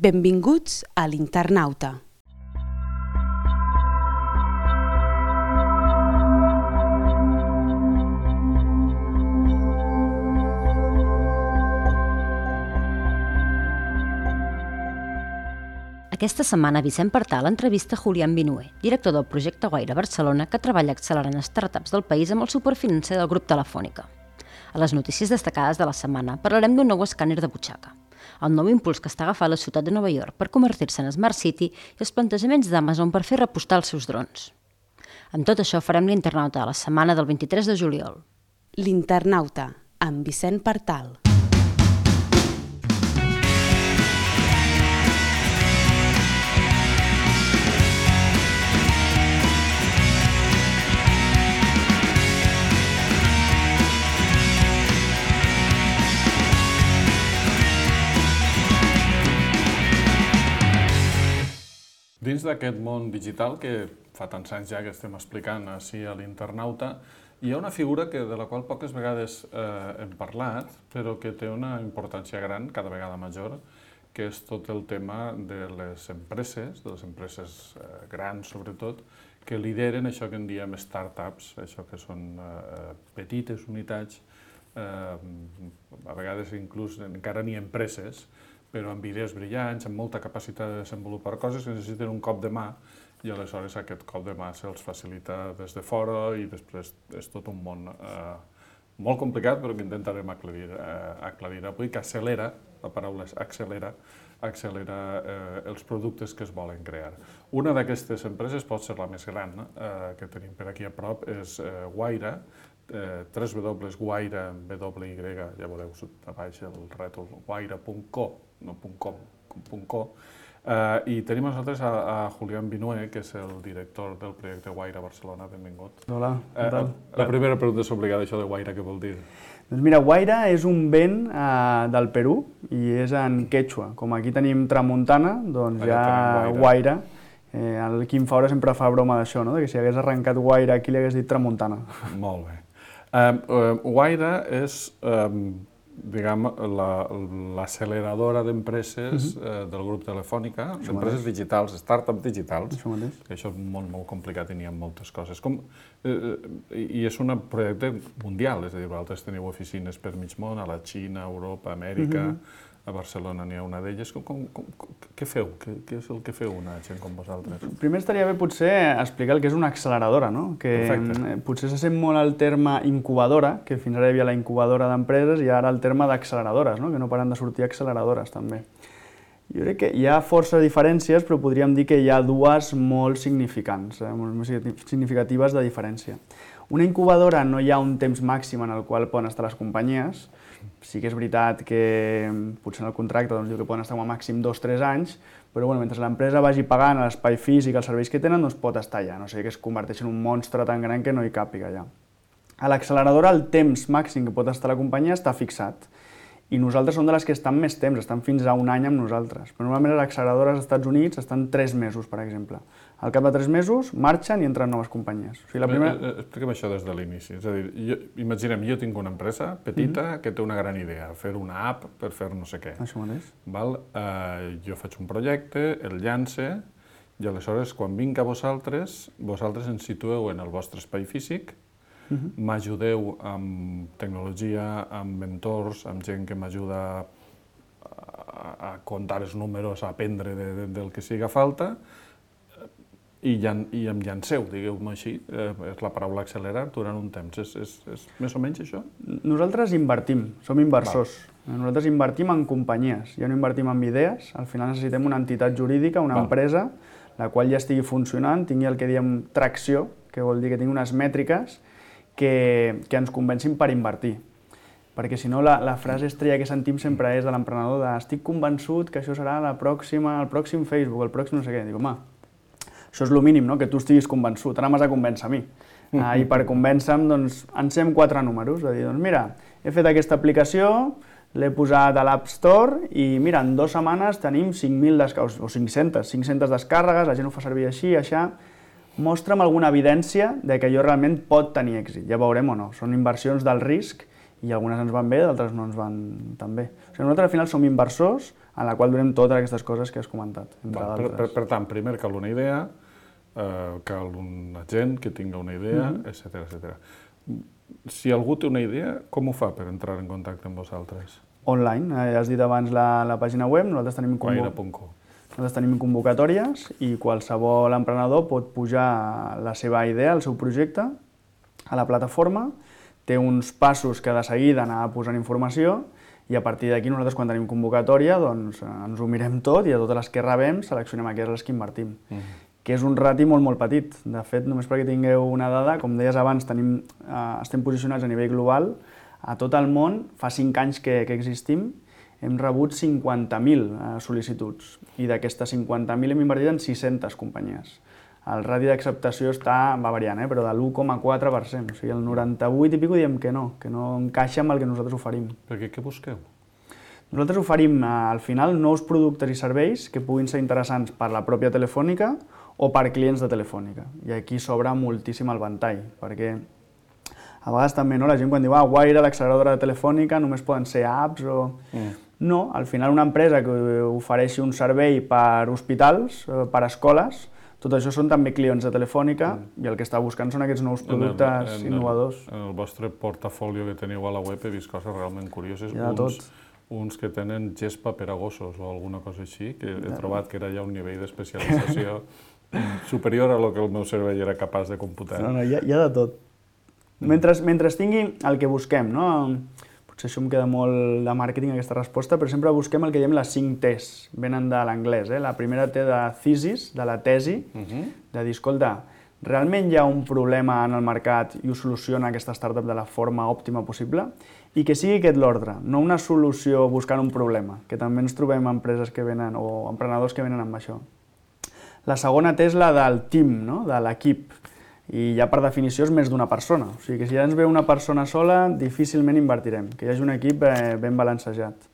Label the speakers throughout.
Speaker 1: Benvinguts a l'Internauta.
Speaker 2: Aquesta setmana Vicent Partal entrevista Julián Vinué, director del projecte Guaira Barcelona, que treballa accelerant startups del país amb el suport financer del grup Telefònica. A les notícies destacades de la setmana parlarem d'un nou escàner de butxaca, el nou impuls que està agafant la ciutat de Nova York per convertir-se en Smart City i els plantejaments d'Amazon per fer repostar els seus drons. Amb tot això farem l'Internauta a la setmana del 23 de juliol.
Speaker 1: L'Internauta, amb Vicent Partal.
Speaker 3: Dins d'aquest món digital, que fa tants anys ja que estem explicant així a l'Internauta, hi ha una figura de la qual poques vegades hem parlat, però que té una importància gran, cada vegada major, que és tot el tema de les empreses grans sobretot, que lideren això que en diem startups, això que són petites unitats, a vegades inclús encara ni empreses, però amb idees brillants, amb molta capacitat de desenvolupar coses que necessiten un cop de mà i aleshores aquest cop de mà se'ls facilita des de fora i després és tot un món molt complicat però que intentarem aclarir avui, que accelera, la paraula és accelera els productes que es volen crear. Una d'aquestes empreses pot ser la més gran que tenim per aquí a prop, és Guaira, www.guaira, ja veureu a baix el rètol, guaira.co, no .com, i tenim a nosaltres a Julián Vinué, que és el director del projecte Guaira Barcelona. Benvingut.
Speaker 4: Hola, què tal?
Speaker 3: La primera pregunta és obligada, això de Guaira, què vol dir?
Speaker 4: Doncs mira, Guaira és un vent del Perú i és en quechua. Com aquí tenim tramuntana, doncs hi ha Guaira. El Quim Faura sempre fa broma d'això, que si hagués arrencat Guaira aquí li hagués dit tramuntana.
Speaker 3: Molt bé. Guaira és, diguem, l'acceleradora d'empreses del grup Telefònica, d'empreses digitals, startups digitals, que això és un món molt complicat i n'hi ha moltes coses. I és un projecte mundial, és a dir, vosaltres teniu oficines per mig món, a la Xina, a Europa, a Amèrica, a Barcelona n'hi ha una d'elles. Què feu? Què és el que feu una gent com vosaltres?
Speaker 4: Primer estaria bé potser explicar el que és una acceleradora, que potser se sent molt el terme incubadora, que fins ara hi havia la incubadora d'empreses i ara el terme d'acceleradores, que no paren de sortir acceleradores també. Jo crec que hi ha força diferències, però podríem dir que hi ha dues molt significants, molt significatives de diferència. Una incubadora no hi ha un temps màxim en el qual poden estar les companyies. Sí que és veritat que potser en el contracte diu que poden estar com a màxim 2-3 anys, però mentre l'empresa vagi pagant l'espai físic, els serveis que tenen, doncs pot estar allà, no sé, que es converteix en un monstre tan gran que no hi càpiga allà. A l'acceleradora el temps màxim que pot estar la companyia està fixat i nosaltres som de les que estan més temps, estan fins a un any amb nosaltres. Però normalment les acceleradores als Estats Units estan 3 mesos, per exemple. Al cap de 3 mesos marxen i entren noves companyies.
Speaker 3: Explica'm això des de l'inici. És a dir, imaginem, jo tinc una empresa petita que té una gran idea, fer una app per fer no sé què.
Speaker 4: Això mateix.
Speaker 3: Jo faig un projecte, el llance, i aleshores quan vinc a vosaltres ens situeu en el vostre espai físic, m'ajudeu amb tecnologia, amb mentors, amb gent que m'ajuda a comptar els números, a aprendre del que siga falta, i em llanceu, digueu-me així, és la paraula accelerar, durant un temps. És més o menys això?
Speaker 4: Nosaltres invertim, som inversors. Nosaltres invertim en companyies, ja no invertim en idees, al final necessitem una entitat jurídica, una empresa, la qual ja estigui funcionant, tingui el que diem tracció, que vol dir que tingui unes mètriques que ens convencin per invertir. Perquè si no, la frase estrella que sentim sempre és de l'emprenedor de estic convençut que això serà el pròxim Facebook, el pròxim no sé què. Dic, home, això és el mínim, que tu estiguis convençut, ara m'has de convèncer a mi. I per convèncer-me, doncs, encem 4 números, de dir, doncs mira, he fet aquesta aplicació, l'he posat a l'App Store i mira, en 2 setmanes tenim 5.000 descàrregues, o 500 descàrregues, la gent ho fa servir així, això. Mostra'm alguna evidència de que allò realment pot tenir èxit. Ja veurem o no. Són inversions del risc i algunes ens van bé, d'altres no ens van tan bé. Nosaltres al final som inversors en la qual donem totes aquestes coses que has comentat, entre d'altres.
Speaker 3: Per tant, primer cal una idea, cal un agent que tinga una idea, etc. Si algú té una idea, com ho fa per entrar en contacte amb vosaltres?
Speaker 4: Online, ja has dit abans la pàgina web, nosaltres tenim convocatòries i qualsevol emprenedor pot pujar la seva idea, el seu projecte, a la plataforma, té uns passos que de seguida anar posant informació i a partir d'aquí nosaltres quan tenim convocatòria doncs ens ho mirem tot i a totes les que rebem seleccionem aquelles que invertim. Que és un rati molt petit. De fet, només perquè tingueu una dada, com deies abans, estem posicionats a nivell global. A tot el món, fa 5 anys que existim, hem rebut 50.000 sol·licituds i d'aquestes 50.000 hem invertit en 600 companyies. El radi d'acceptació va variant, però de l'1,4%. O sigui, el 98 i pico diem que no encaixa amb el que nosaltres oferim.
Speaker 3: Perquè què busqueu?
Speaker 4: Nosaltres oferim, al final, nous productes i serveis que puguin ser interessants per la pròpia Telefònica o per clients de Telefònica. I aquí s'obre moltíssim el ventall, perquè a vegades també la gent quan diu Wire, l'acceleradora de Telefònica, només poden ser apps o... No, al final una empresa que ofereixi un servei per hospitals, per escoles, tot això són també clients de Telefònica i el que està buscant són aquests nous productes innovadors.
Speaker 3: En el vostre portafoli que teniu a la web he vist coses realment curioses.
Speaker 4: Hi ha de tot.
Speaker 3: Uns que tenen gespa per a gossos o alguna cosa així, que he trobat que era ja un nivell d'especialització superior a lo que el meu cervell era capaç de computar.
Speaker 4: No, hi ha de tot. Mentre tingui el que busquem, no? Potser això em queda molt de màrqueting aquesta resposta, però sempre busquem el que diem les 5 T's, venen de l'anglès. La primera T de thesis, de la tesi, de dir, escolta, realment hi ha un problema en el mercat i ho soluciona aquesta startup de la forma òptima possible i que sigui aquest l'ordre, no una solució buscant un problema, que també ens trobem empreses que venen o emprenedors que venen amb això. La segona T és la del team, de l'equip, i ja per definició és més d'una persona. O sigui que si ja ens ve una persona sola, difícilment invertirem, que hi hagi un equip ben balancejat.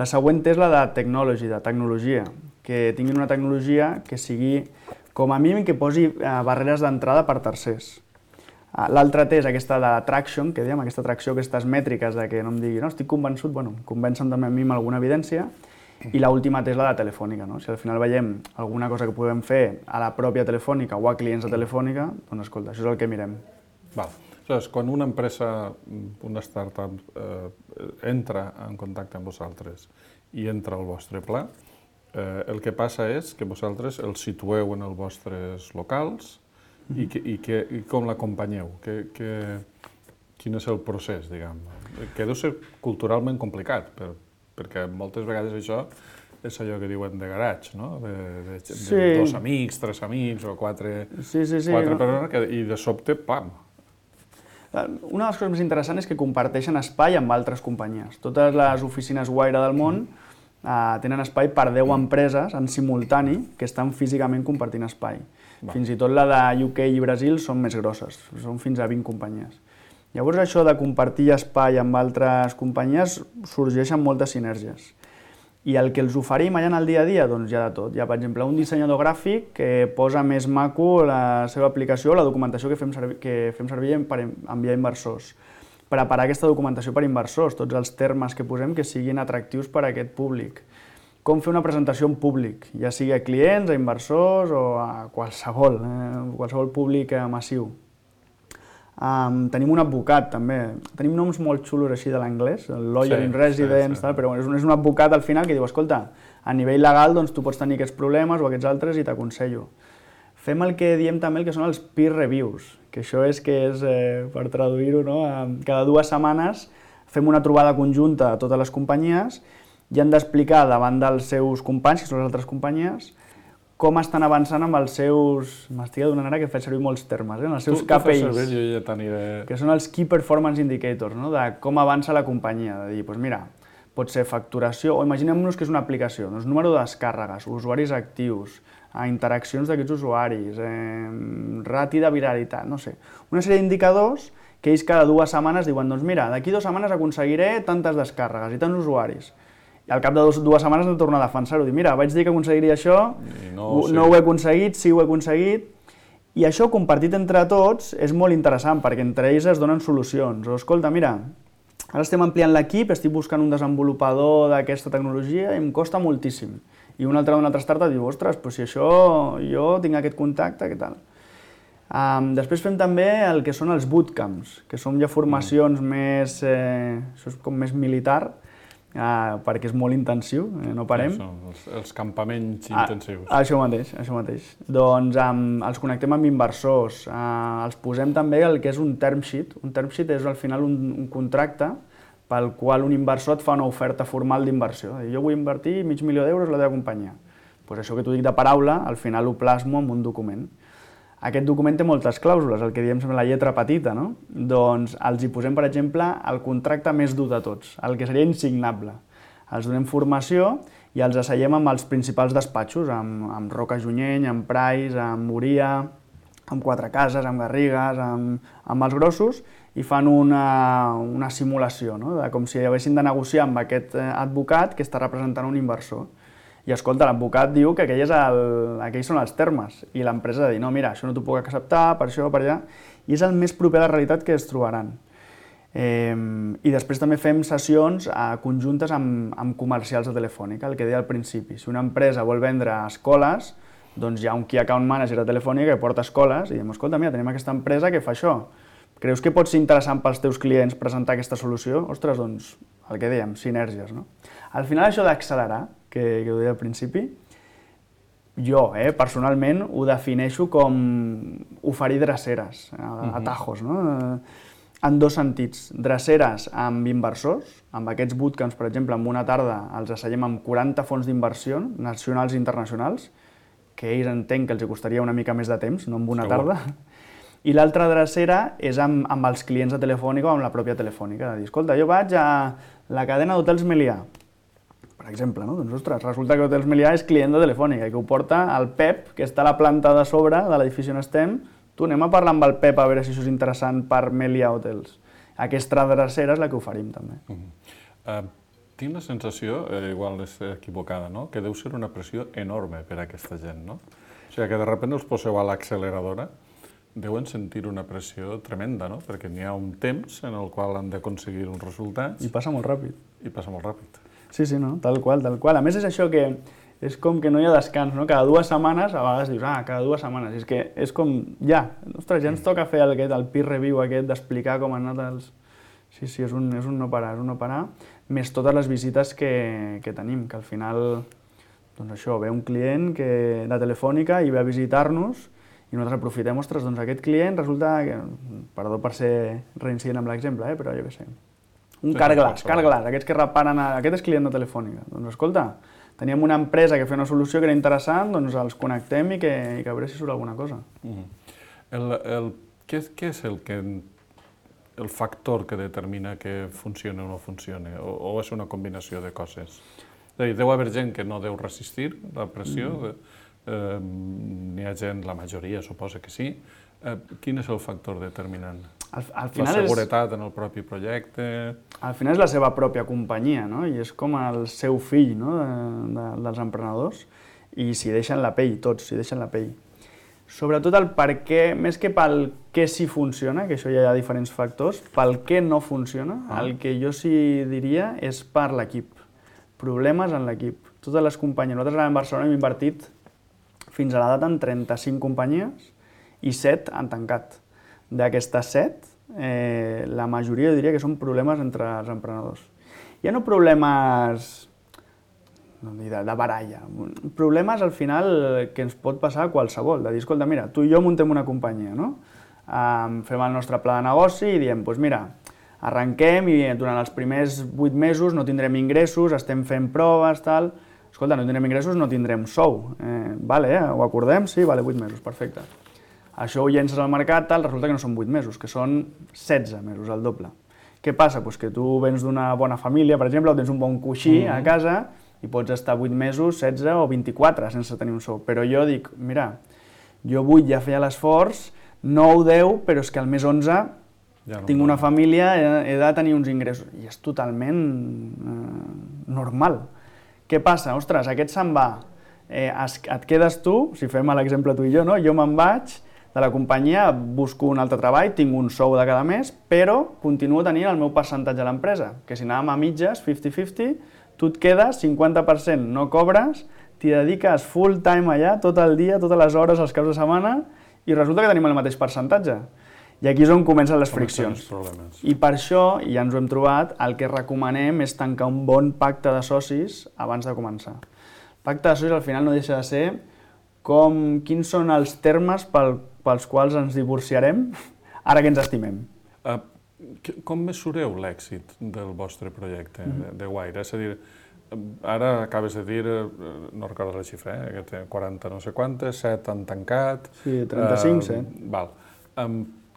Speaker 4: La següent és la de tecnologia, que tinguin una tecnologia que sigui, com a mínim, que posi barreres d'entrada per tercers. L'altra T és aquesta de traction, que diem, aquesta atracció, aquestes mètriques de que no em digui, no, estic convençut, bueno, convencen també a mi amb alguna evidència, i l'última T és la de Telefònica, no? Si al final veiem alguna cosa que podem fer a la pròpia Telefònica o a clients de Telefònica, doncs escolta, això és el que mirem.
Speaker 3: Aleshores, quan una empresa, una startup, entra en contacte amb vosaltres i entra al vostre pla, el que passa és que vosaltres el situeu en els vostres locals i com l'acompanyeu? Quin és el procés, diguem? Que deu ser culturalment complicat, perquè moltes vegades això és allò que diuen de garatge, no? De 2 amics, 3 amics o 4 persones i de sobte, pam!
Speaker 4: Una de les coses més interessants és que comparteixen espai amb altres companyies. Totes les oficines Wire del món tenen espai per 10 empreses en simultani que estan físicament compartint espai. Fins i tot la de UK i Brasil són més grosses, són fins a 20 companyies. Llavors això de compartir espai amb altres companyies sorgeixen moltes sinergies. I el que els oferim allà en el dia a dia, doncs hi ha de tot. Hi ha, per exemple, un dissenyador gràfic que posa més maco la seva aplicació, la documentació que fem servir per enviar inversors. Preparar aquesta documentació per inversors, tots els termes que posem que siguin atractius per a aquest públic. Com fer una presentació en públic, ja sigui a clients, a inversors o a qualsevol públic massiu. Tenim un advocat, també. Tenim noms molt xulos així de l'anglès, el lawyer in residence, però és un advocat al final que diu, escolta, a nivell legal doncs, tu pots tenir aquests problemes o aquests altres i t'aconsello. Fem el que diem també, el que són els peer reviews, que això és, per traduir-ho, cada 2 setmanes fem una trobada conjunta a totes les companyies i han d'explicar davant dels seus companys, que són les altres companyies, com estan avançant amb els seus... M'estic adonant ara que faig servir molts termes, els seus KPIs, que són els Key Performance Indicators, de com avança la companyia, de dir, doncs mira, pot ser facturació, o imaginem-nos que és una aplicació, doncs número de descàrregues, usuaris actius, interaccions d'aquests usuaris, rati de viralitat, no sé, una sèrie d'indicadors que ells cada 2 setmanes diuen, doncs mira, d'aquí 2 setmanes aconseguiré tantes descàrregues i tants usuaris. I al cap de 2 setmanes hem de tornar a defensar-ho, dir, mira, vaig dir que aconseguiria això, no ho he aconseguit, sí ho he aconseguit, i això compartit entre tots és molt interessant, perquè entre ells es donen solucions. O, escolta, mira, Ara estem ampliant l'equip, estic buscant un desenvolupador d'aquesta tecnologia i em costa moltíssim. I un altre d'una altra startup diu, ostres, però si això jo tinc aquest contacte, què tal? Després fem també el que són els bootcamps, que són ja formacions més, això és com més militar, perquè és molt intensiu, no parem.
Speaker 3: Els campaments intensius.
Speaker 4: Això mateix, això mateix. Doncs els connectem amb inversors, els posem també el que és un term sheet. Un term sheet és al final un contracte pel qual un inversor et fa una oferta formal d'inversió. Jo vull invertir $500.000 a la teva companyia. Doncs això que t'ho dic de paraula, al final ho plasmo en un document. Aquest document té moltes clàusules, el que diem sempre la lletra petita, no? Doncs els hi posem, per exemple, el contracte més dur de tots, el que seria insignable. Els donem formació i els asseiem amb els principals despatxos, amb Roca Junyent, amb Price, amb Moria, amb Quatre Cases, amb Garrigues, amb els grossos, i fan una simulació, no? Com si haguessin de negociar amb aquest advocat que està representant un inversor. I escolta, l'advocat diu que aquells són els termes, i l'empresa ha de dir, no, mira, això no t'ho puc acceptar, per això, per allà, i és el més proper a la realitat que es trobaran. I després també fem sessions conjuntes amb comercials de Telefònica, el que deia al principi. Si una empresa vol vendre escoles, doncs hi ha un Key Account Manager de Telefònica que porta escoles i diem, escolta, mira, tenim aquesta empresa que fa això. Creus que pot ser interessant pels teus clients presentar aquesta solució? Ostres, doncs, el que dèiem, sinergies, no? Al final, això d'accelerar, que ho deia al principi, jo, personalment, ho defineixo com oferir dreceres, atajos, no? En dos sentits. Dreceres amb inversors, amb aquests bootcamps, per exemple, en una tarda els asseiem amb 40 fons d'inversió, nacionals i internacionals, que ells entenc que els costaria una mica més de temps, no en una tarda. I l'altra drecera és amb els clients de Telefònica o amb la pròpia Telefònica, de dir, escolta, jo vaig a la cadena d'hotels Melià, per exemple, no? Doncs, ostres, resulta que Hotels Melià és client de Telefònica i que ho porta el Pep, que està a la planta de sobre de l'edifici on estem. Tu, anem a parlar amb el Pep a veure si això és interessant per Melià Hotels. Aquesta drecera és la que oferim, també.
Speaker 3: Tinc la sensació, igual és equivocada, no? Que deu ser una pressió enorme per a aquesta gent, no? O sigui, que de sobte els poseu a l'acceleradora, deuen sentir una pressió tremenda, no? Perquè n'hi ha un temps en el qual han d'aconseguir uns resultats.
Speaker 4: I passa molt ràpid.
Speaker 3: I passa molt ràpid.
Speaker 4: Sí, sí, no? Tal qual, tal qual. A més, és això que és com que no hi ha descans, no? Cada 2 setmanes, a vegades dius, cada 2 setmanes. És que és com, ja, ostres, ja ens toca fer el peer review aquest, d'explicar com han anat els... Sí, sí, és un no parar, més totes les visites que tenim, que al final, doncs això, ve un client de Telefònica i ve a visitar-nos i nosaltres aprofitem, ostres, doncs aquest client resulta que, perdó per ser reincident amb l'exemple, però jo què sé, un Carglass, aquests que reparen, aquest és client de Telefònica. Doncs escolta, teníem una empresa que feia una solució que era interessant, doncs els connectem i que a veure si surt alguna cosa.
Speaker 3: Què és el factor que determina que funcioni o no funcioni? O és una combinació de coses? És a dir, deu haver gent que no deu resistir la pressió, n'hi ha gent, la majoria suposa que sí. Quin és el factor determinant? La seguretat en el propi projecte?
Speaker 4: Al final és la seva pròpia companyia, no? I és com el seu fill, no? Dels emprenedors, i s'hi deixen la pell, tots s'hi deixen la pell. Sobretot el per què, més que pel què sí funciona, que això ja hi ha diferents factors, pel què no funciona, el que jo sí diria és per l'equip. Problemes en l'equip. Totes les companyies, nosaltres a Barcelona hem invertit fins a la data en 35 companyies i 7 han tancat. D'aquestes 7, la majoria diria que són problemes entre els emprenedors. Ja no problemes de baralla, problemes al final que ens pot passar a qualsevol, de dir, escolta, mira, tu i jo muntem una companyia, no? Fem el nostre pla de negoci i diem, doncs mira, arrenquem i durant els primers 8 mesos no tindrem ingressos, estem fent proves, tal. Escolta, no tindrem ingressos, no tindrem sou. Vale, ho acordem? Sí, vale, 8 mesos, perfecte. Això ho llences al mercat, tal, resulta que no són 8 mesos, que són 16 mesos, el doble. Què passa? Doncs que tu vens d'una bona família, per exemple, o tens un bon coixí a casa i pots estar 8 mesos, 16 o 24 sense tenir un sou. Però jo dic, mira, jo vull ja fer l'esforç, 9 o 10, però és que al mes 11 tinc una família, he de tenir uns ingressos. I és totalment normal. Què passa? Ostres, aquest se'n va. Et quedes tu, si fem l'exemple tu i jo, no? Jo me'n vaig, de la companyia, busco un altre treball, tinc un sou de cada mes, però continuo tenint el meu percentatge a l'empresa, que si anàvem a mitges, 50-50, tu et quedes, 50% no cobres, t'hi dediques full time allà, tot el dia, totes les hores, els caps de setmana, i resulta que tenim el mateix percentatge. I aquí és on comencen les friccions. I per això, i ja ens ho hem trobat, el que recomanem és tancar un bon pacte de socis abans de començar. El pacte de socis al final no deixa de ser quins són els termes pels quals ens divorciarem ara que ens estimem.
Speaker 3: Com mesureu l'èxit del vostre projecte de Wire? És a dir, ara acabes de dir, no recordo la xifra, que té 40 no sé quantes, 7 han tancat...
Speaker 4: Sí, 35, 7.
Speaker 3: Val.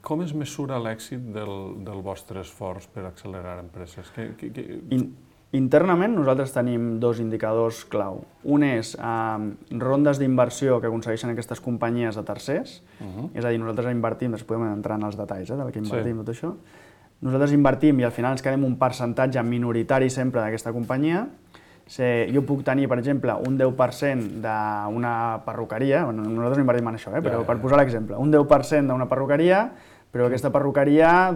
Speaker 3: Com es mesura l'èxit del vostre esforç per accelerar empreses?
Speaker 4: Internament nosaltres tenim dos indicadors clau. Un és rondes d'inversió que aconsegueixen aquestes companyies de tercers, és a dir, nosaltres invertim, després podem entrar en els detalls del que invertim, tot això. Nosaltres invertim i al final ens quedem un percentatge minoritari sempre d'aquesta companyia. Jo puc tenir, per exemple, un 10% d'una perruqueria, nosaltres invertim en això, però per posar l'exemple, un 10% d'una perruqueria, però aquesta perruqueria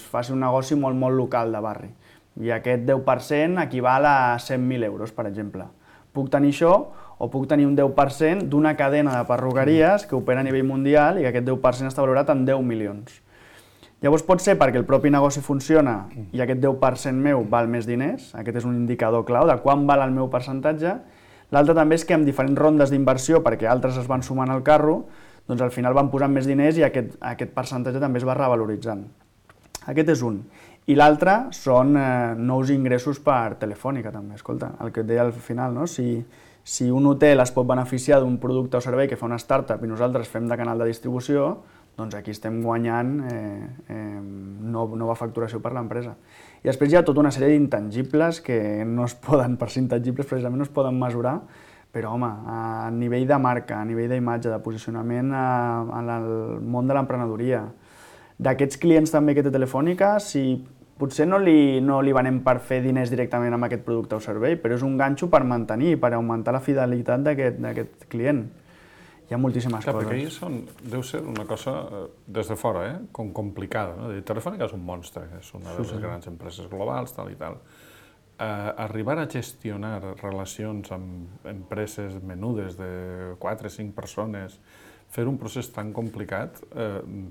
Speaker 4: faci un negoci molt, molt local de barri. I aquest 10% equival a 100.000 euros, per exemple. Puc tenir això o puc tenir un 10% d'una cadena de perruqueries que opera a nivell mundial i que aquest 10% està valorat en 10 milions. Llavors pot ser perquè el propi negoci funciona i aquest 10% meu val més diners, aquest és un indicador clau de quan val el meu percentatge. L'altre també és que amb diferents rondes d'inversió, perquè altres es van sumant al carro, doncs al final van posant més diners i aquest percentatge també es va revaloritzant. Aquest és un. I l'altre són nous ingressos per Telefònica també. Escolta, el que et deia al final, no? Si un hotel es pot beneficiar d'un producte o servei que fa una startup i nosaltres fem de canal de distribució, doncs aquí estem guanyant nova facturació per l'empresa. I després hi ha tota una sèrie d'intangibles que no es poden, per ser intangibles precisament no es poden mesurar, però home, a nivell de marca, a nivell d'imatge, de posicionament en el món de l'emprenedoria, d'aquests clients també que té Telefònica, si potser no li venem per fer diners directament amb aquest producte o servei, però és un ganxo per mantenir, per augmentar la fidelitat d'aquest client. Hi ha moltíssimes coses.
Speaker 3: Perquè deu ser una cosa, des de fora, com complicada. Telefònica és un monstre, és una de les grans empreses globals, tal i tal. Arribar a gestionar relacions amb empreses menudes de 4 o 5 persones, fer un procés tan complicat,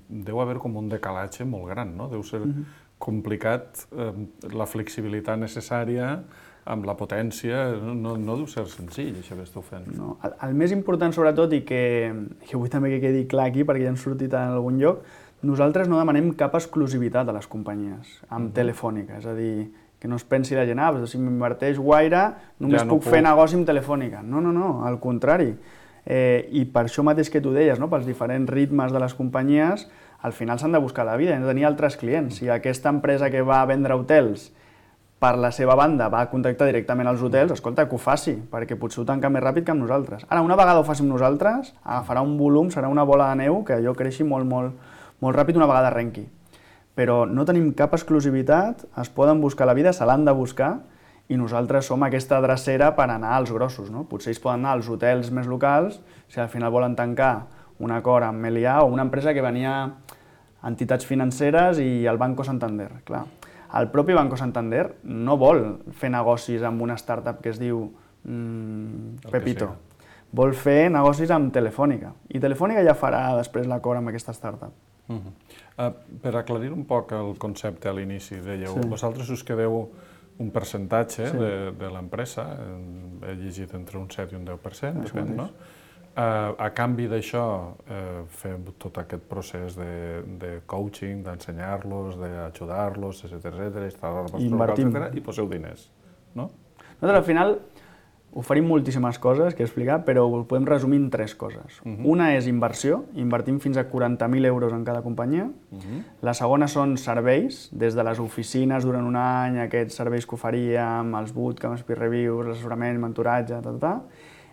Speaker 3: deu haver com un decalatge molt gran, no? Deu ser complicat la flexibilitat necessària amb la potència, no deu ser senzill això que esteu fent.
Speaker 4: No, el més important sobretot, i que vull també que quedi clar aquí perquè ja han sortit en algun lloc, nosaltres no demanem cap exclusivitat a les companyies amb Telefònica, és a dir, que no es pensi la gent, si m'inverteix Wire només puc fer negoci amb Telefònica. No, al contrari. I per això mateix que tu deies, pels diferents ritmes de les companyies, al final s'han de buscar la vida, han de tenir altres clients. Si aquesta empresa que va a vendre hotels per la seva banda va contactar directament als hotels, escolta, que ho faci, perquè potser ho tanca més ràpid que amb nosaltres. Ara, una vegada ho faci amb nosaltres, agafarà un volum, serà una bola de neu que allò creixi molt, molt, molt ràpid una vegada arrenqui. Però no tenim cap exclusivitat, es poden buscar la vida, se l'han de buscar, i nosaltres som aquesta drecera per anar als grossos. Potser ells poden anar als hotels més locals, si al final volen tancar un acord amb Melià o una empresa que venia entitats financeres i el Banco Santander. Clar, el propi Banco Santander no vol fer negocis amb una startup que es diu Pepito. Vol fer negocis amb Telefònica. I Telefònica ja farà després l'acord amb aquesta startup.
Speaker 3: Per aclarir un poc el concepte a l'inici, dèieu, vosaltres us quedeu un percentatge de l'empresa, he llegit entre un 7 i un 10%, depèn, no? A canvi d'això, fem tot aquest procés de coaching, d'ensenyar-los, d'ajudar-los, etcètera, i poseu diners, no?
Speaker 4: Nosaltres al final oferim moltíssimes coses que explicar, però ho podem resumir en 3 coses. Una és inversió, invertim fins a 40.000 euros en cada companyia. La segona són serveis, des de les oficines durant un any, aquests serveis que oferíem, els bootcamps, peer reviews, l'assessorament, mentoratge,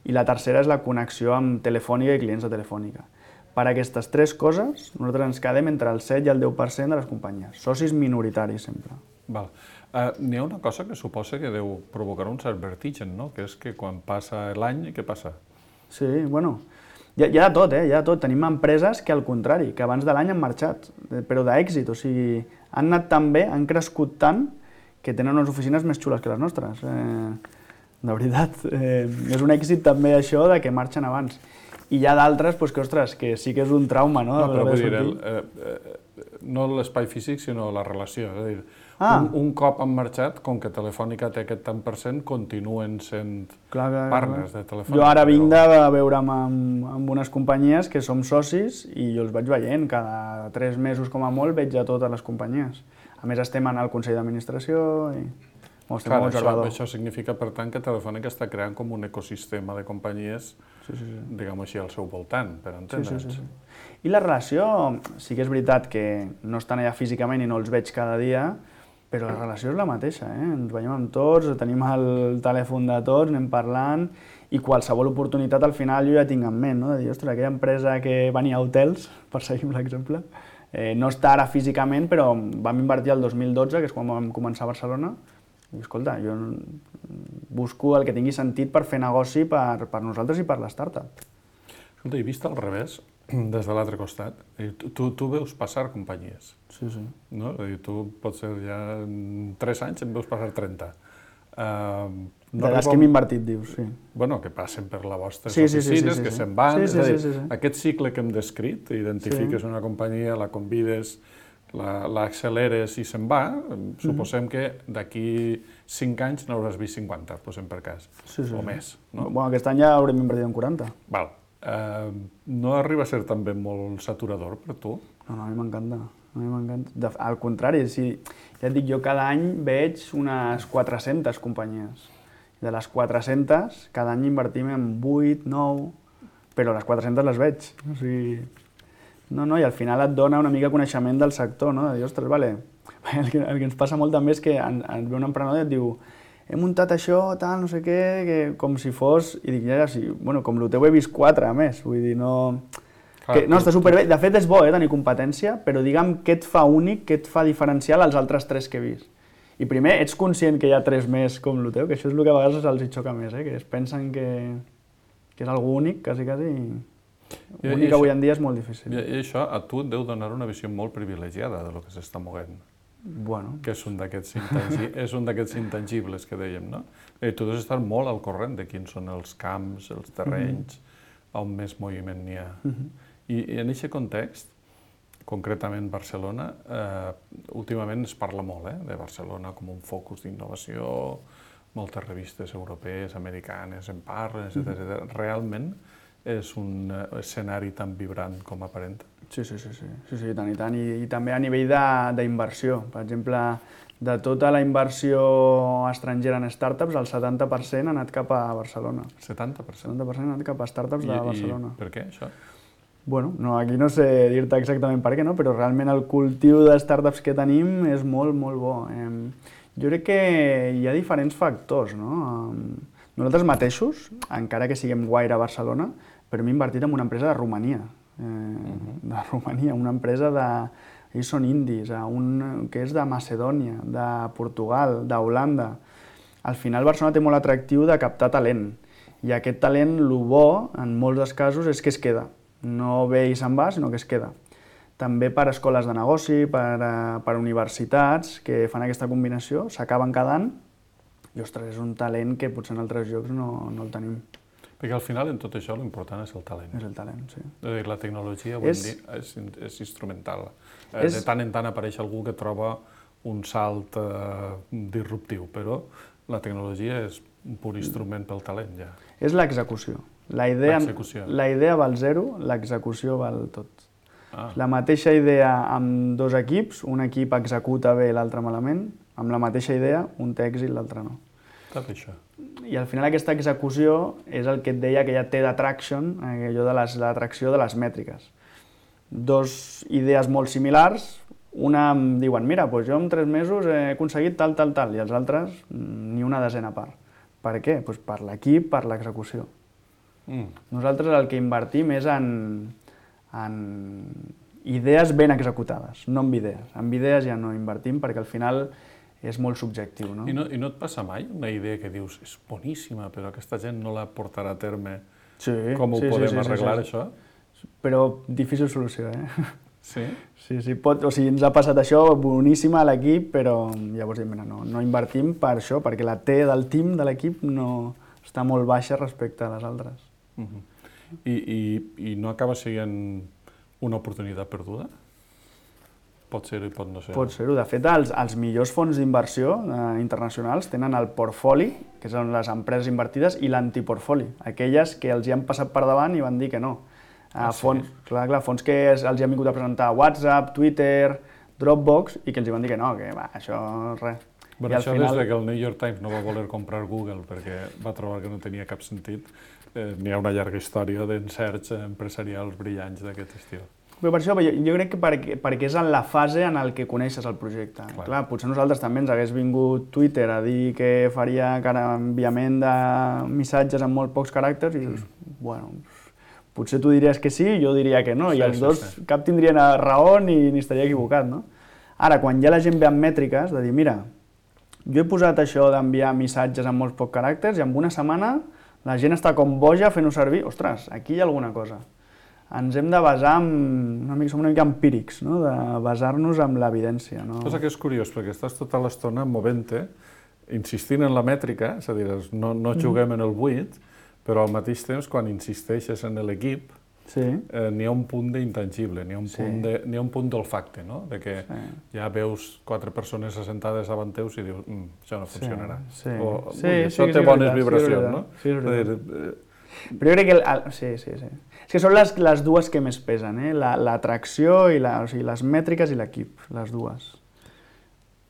Speaker 4: I la tercera és la connexió amb Telefònica i clients de Telefònica. Per aquestes 3 coses, nosaltres ens quedem entre el 7 i el 10% de les companyies. Socis minoritaris, sempre.
Speaker 3: N'hi ha una cosa que suposa que deu provocar un cert vertigen, no? Que és que quan passa l'any, què passa?
Speaker 4: Sí, bueno, Hi ha de tot, hi ha de tot. Tenim empreses que, al contrari, que abans de l'any han marxat, però d'èxit, o sigui, han anat tan bé, han crescut tant, que tenen unes oficines més xules que les nostres. De veritat, és un èxit també això de que marxen abans. I hi ha d'altres que, ostres, que sí que és un trauma, no?
Speaker 3: No, però vull dir, no l'espai físic, sinó la relació. És a dir, un cop han marxat, com que Telefònica té aquest tant per cent, continuen sent partners de Telefònica.
Speaker 4: Jo ara vinc de veure'm amb unes companyies que som socis i jo els vaig veient. Cada 3 mesos, com a molt, veig a totes les companyies. A més, estem al Consell d'Administració i estem molt observador.
Speaker 3: Això significa, per tant, que Telefònica està creant com un ecosistema de companyies, diguem-ho així, al seu voltant, per entendre'ns.
Speaker 4: I la relació, sí que és veritat que no estan allà físicament i no els veig cada dia, però la relació és la mateixa, ens veiem amb tots, tenim el telèfon de tots, anem parlant, i qualsevol oportunitat al final jo ja tinc en ment, no? De dir, ostres, aquella empresa que venia a hotels, per seguir amb l'exemple, no està ara físicament, però vam invertir el 2012, que és quan vam començar a Barcelona, i escolta, jo busco el que tingui sentit per fer negoci per nosaltres i per la startup.
Speaker 3: Escolta, i vist al revés, des de l'altre costat, tu veus passar companyies.
Speaker 4: Sí.
Speaker 3: No? És a dir, tu potser ja en 3 anys en veus passar 30.
Speaker 4: De les que hem invertit, dius, sí.
Speaker 3: Bueno, que passen per les vostres oficines, que se'n van. Aquest cicle que hem descrit, identifiques una companyia, la convides, l'acceleres i se'n va, suposem que d'aquí 5 anys n'hauràs vist 50, posem per cas, o més.
Speaker 4: Bueno, aquest any ja haurem invertit en 40.
Speaker 3: Val. No arriba a ser també molt saturador per tu?
Speaker 4: No, a mi m'encanta. Al contrari, ja et dic, jo cada any veig unes 400 companyies. De les 400, cada any invertim en 8, 9, però les 400 les veig. O sigui, i al final et dona una mica coneixement del sector, no? De dir, ostres, vale. El que ens passa molt també és que et ve un emprenedor i et diu he muntat això, tal, no sé què, que com si fos... I dic, ja, sí, bueno, com el teu he vist 4, a més, vull dir, no... No, està superbé. De fet, és bo tenir competència, però digue'm què et fa únic, què et fa diferencial als altres 3 que he vist. I primer, ets conscient que hi ha 3 més com el teu, que això és el que a vegades els hi xoca més, que es pensen que és algú únic, quasi. Únic avui en dia és molt difícil.
Speaker 3: I això a tu et deu donar una visió molt privilegiada del que s'està movent.
Speaker 4: Bueno.
Speaker 3: Que és un d'aquests intangibles que dèiem, no? Tu has d'estar molt al corrent de quins són els camps, els terrenys, on més moviment n'hi ha. I en aquest context, concretament Barcelona, últimament es parla molt de Barcelona com un focus d'innovació, moltes revistes europees, americanes en parlen, etc. Realment és un escenari tan vibrant com aparenta?
Speaker 4: Sí, tant i tant. I també a nivell d'inversió. Per exemple, de tota la inversió estrangera en startups, el 70% ha anat cap a Barcelona.
Speaker 3: 70%?
Speaker 4: 70% ha anat cap a startups de Barcelona.
Speaker 3: I per què, això?
Speaker 4: Bueno, aquí no sé dir-te exactament per què, no? Però realment el cultiu de startups que tenim és molt, molt bo. Jo crec que hi ha diferents factors, no? Nosaltres mateixos, encara que siguem guaire a Barcelona, però hem invertit en una empresa de Romania. Una empresa ells són indis, que és de Macedònia, de Portugal, d'Holanda. Al final Barcelona té molt atractiu de captar talent, i aquest talent, el bo, en molts dels casos, és que es queda. No ve i se'n va, sinó que es queda. També per escoles de negoci, per universitats que fan aquesta combinació, s'acaben quedant, i ostres, és un talent que potser en altres llocs no el tenim.
Speaker 3: Perquè al final en tot això l'important és el talent.
Speaker 4: És el talent, sí.
Speaker 3: La tecnologia avui en dia és instrumental. De tant en tant apareix algú que troba un salt disruptiu, però la tecnologia és un pur instrument pel talent, ja.
Speaker 4: És l'execució. La idea val 0, l'execució val tot. La mateixa idea amb 2 equips, un equip executa bé i l'altre malament, amb la mateixa idea, un té èxit i l'altre no.
Speaker 3: Tot això.
Speaker 4: I al final aquesta execució és el que et deia que ja té d'atraction, allò de l'atracció de les mètriques. 2 idees molt similars, una em diuen, mira, jo en 3 mesos he aconseguit tal, i els altres ni una desena part. Per què? Per l'equip, per l'execució. Nosaltres el que invertim és en idees ben executades, no en idees. En idees ja no invertim perquè al final és molt subjectiu, no?
Speaker 3: I no et passa mai una idea que dius és boníssima, però aquesta gent no la portarà a terme com ho podem arreglar, això?
Speaker 4: Però difícil solució,
Speaker 3: Sí?
Speaker 4: Sí, o sigui, ens ha passat això, boníssima a l'equip, però llavors diem, no invertim per això, perquè la T del team de l'equip no està molt baixa respecte a les altres.
Speaker 3: I no acaba sent una oportunitat perduda? Pot ser-ho i pot no ser-ho.
Speaker 4: Pot ser-ho. De fet, els millors fons d'inversió internacionals tenen el portfoli, que són les empreses invertides, i l'antiportfoli, aquelles que els hi han passat per davant i van dir que no. Fons que els hi han vingut a presentar WhatsApp, Twitter, Dropbox, i que els hi van dir que no, que això res.
Speaker 3: Bé, això des que el New York Times no va voler comprar Google perquè va trobar que no tenia cap sentit, n'hi ha una llarga història d'encerts empresarials brillants d'aquest estil.
Speaker 4: Però per això, jo crec que perquè és en la fase en què coneixes el projecte. Clar, potser nosaltres també ens hagués vingut Twitter a dir que faria enviament de missatges amb molt pocs caràcters i dius, bueno, potser tu diries que sí, jo diria que no, i els dos cap tindrien raó ni estaria equivocat, no? Ara, quan ja la gent ve amb mètriques, de dir, mira, jo he posat això d'enviar missatges amb molts pocs caràcters i en una setmana la gent està com boja fent-ho servir, ostres, aquí hi ha alguna cosa. Ens hem de basar som una mica empírics, no? De basar-nos en l'evidència.
Speaker 3: Cosa que és curiós, perquè estàs tota l'estona movent-te, insistint en la mètrica, és a dir, no juguem en el buit, però al mateix temps, quan insisteixes en l'equip, n'hi ha un punt d'intangible, n'hi ha un punt d'olfacte, no? De que ja veus 4 persones assentades davant teus i dius, això no funcionarà. O això té bones vibracions, no?
Speaker 4: Però jo crec que... Sí. És que són les dues que més pesen, l'atracció i les mètriques i l'equip, les dues.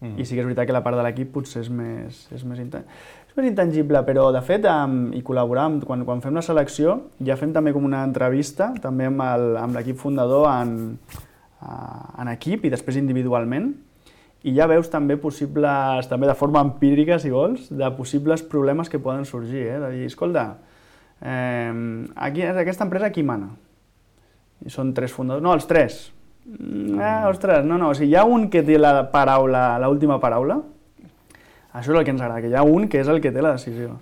Speaker 4: I sí que és veritat que la part de l'equip potser és més intangible, però de fet, i col·laborar, quan fem la selecció, ja fem també com una entrevista, també amb l'equip fundador en equip i després individualment, i ja veus també possibles, també de forma empírica, si vols, de possibles problemes que poden sorgir, de dir, escolta, aquesta empresa qui mana? I són 3 fundadors, no, els 3. Ostres, no, o sigui, hi ha un que té l'última paraula. Això és el que ens agrada, que hi ha un que és el que té la decisió.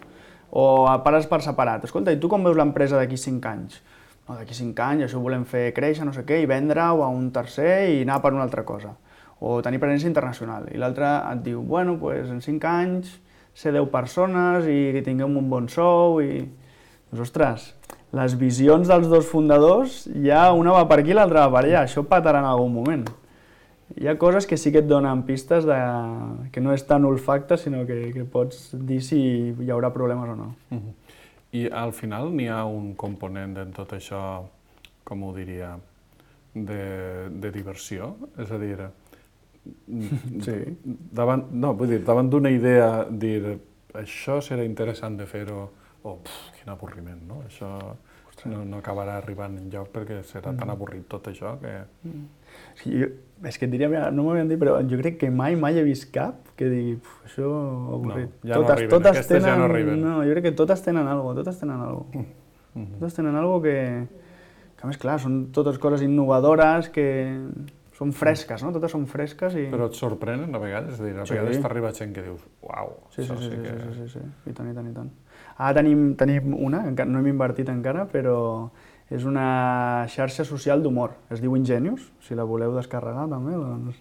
Speaker 4: O pares per separat. Escolta, i tu com veus l'empresa d'aquí 5 anys? No, d'aquí 5 anys això ho volem fer créixer, no sé què, i vendre-ho a un tercer i anar per una altra cosa. O tenir presència internacional. I l'altre et diu, bueno, doncs en 5 anys ser 10 persones i que tinguem un bon sou i... Doncs, ostres, les visions dels dos fundadors, ja una va per aquí i l'altra va per allà. Això patarà en algun moment. Hi ha coses que sí que et donen pistes que no és tan olfacte, sinó que pots dir si hi haurà problemes o no.
Speaker 3: I al final n'hi ha un component en tot això, com ho diria, de diversió? És a dir, davant d'una idea, dir això serà interessant de fer-ho, quin avorriment, no? Això no acabarà arribant enlloc perquè serà tan avorrit tot això que...
Speaker 4: És que et diria, no m'ho havien dit, però jo crec que mai he vist cap que digui, això avorrit.
Speaker 3: No, ja no arriben, aquestes ja no arriben.
Speaker 4: No, jo crec que totes tenen alguna cosa, Totes tenen alguna cosa que a més, clar, són totes coses innovadores que són fresques, no? Totes són fresques i...
Speaker 3: Però et sorprenen a vegades? És a dir, a vegades t'arriba gent que dius, uau, això sí que...
Speaker 4: Sí, i tant. Ara tenim una, no hem invertit encara, però és una xarxa social d'humor. Es diu Ingenius, si la voleu descarregar també, doncs...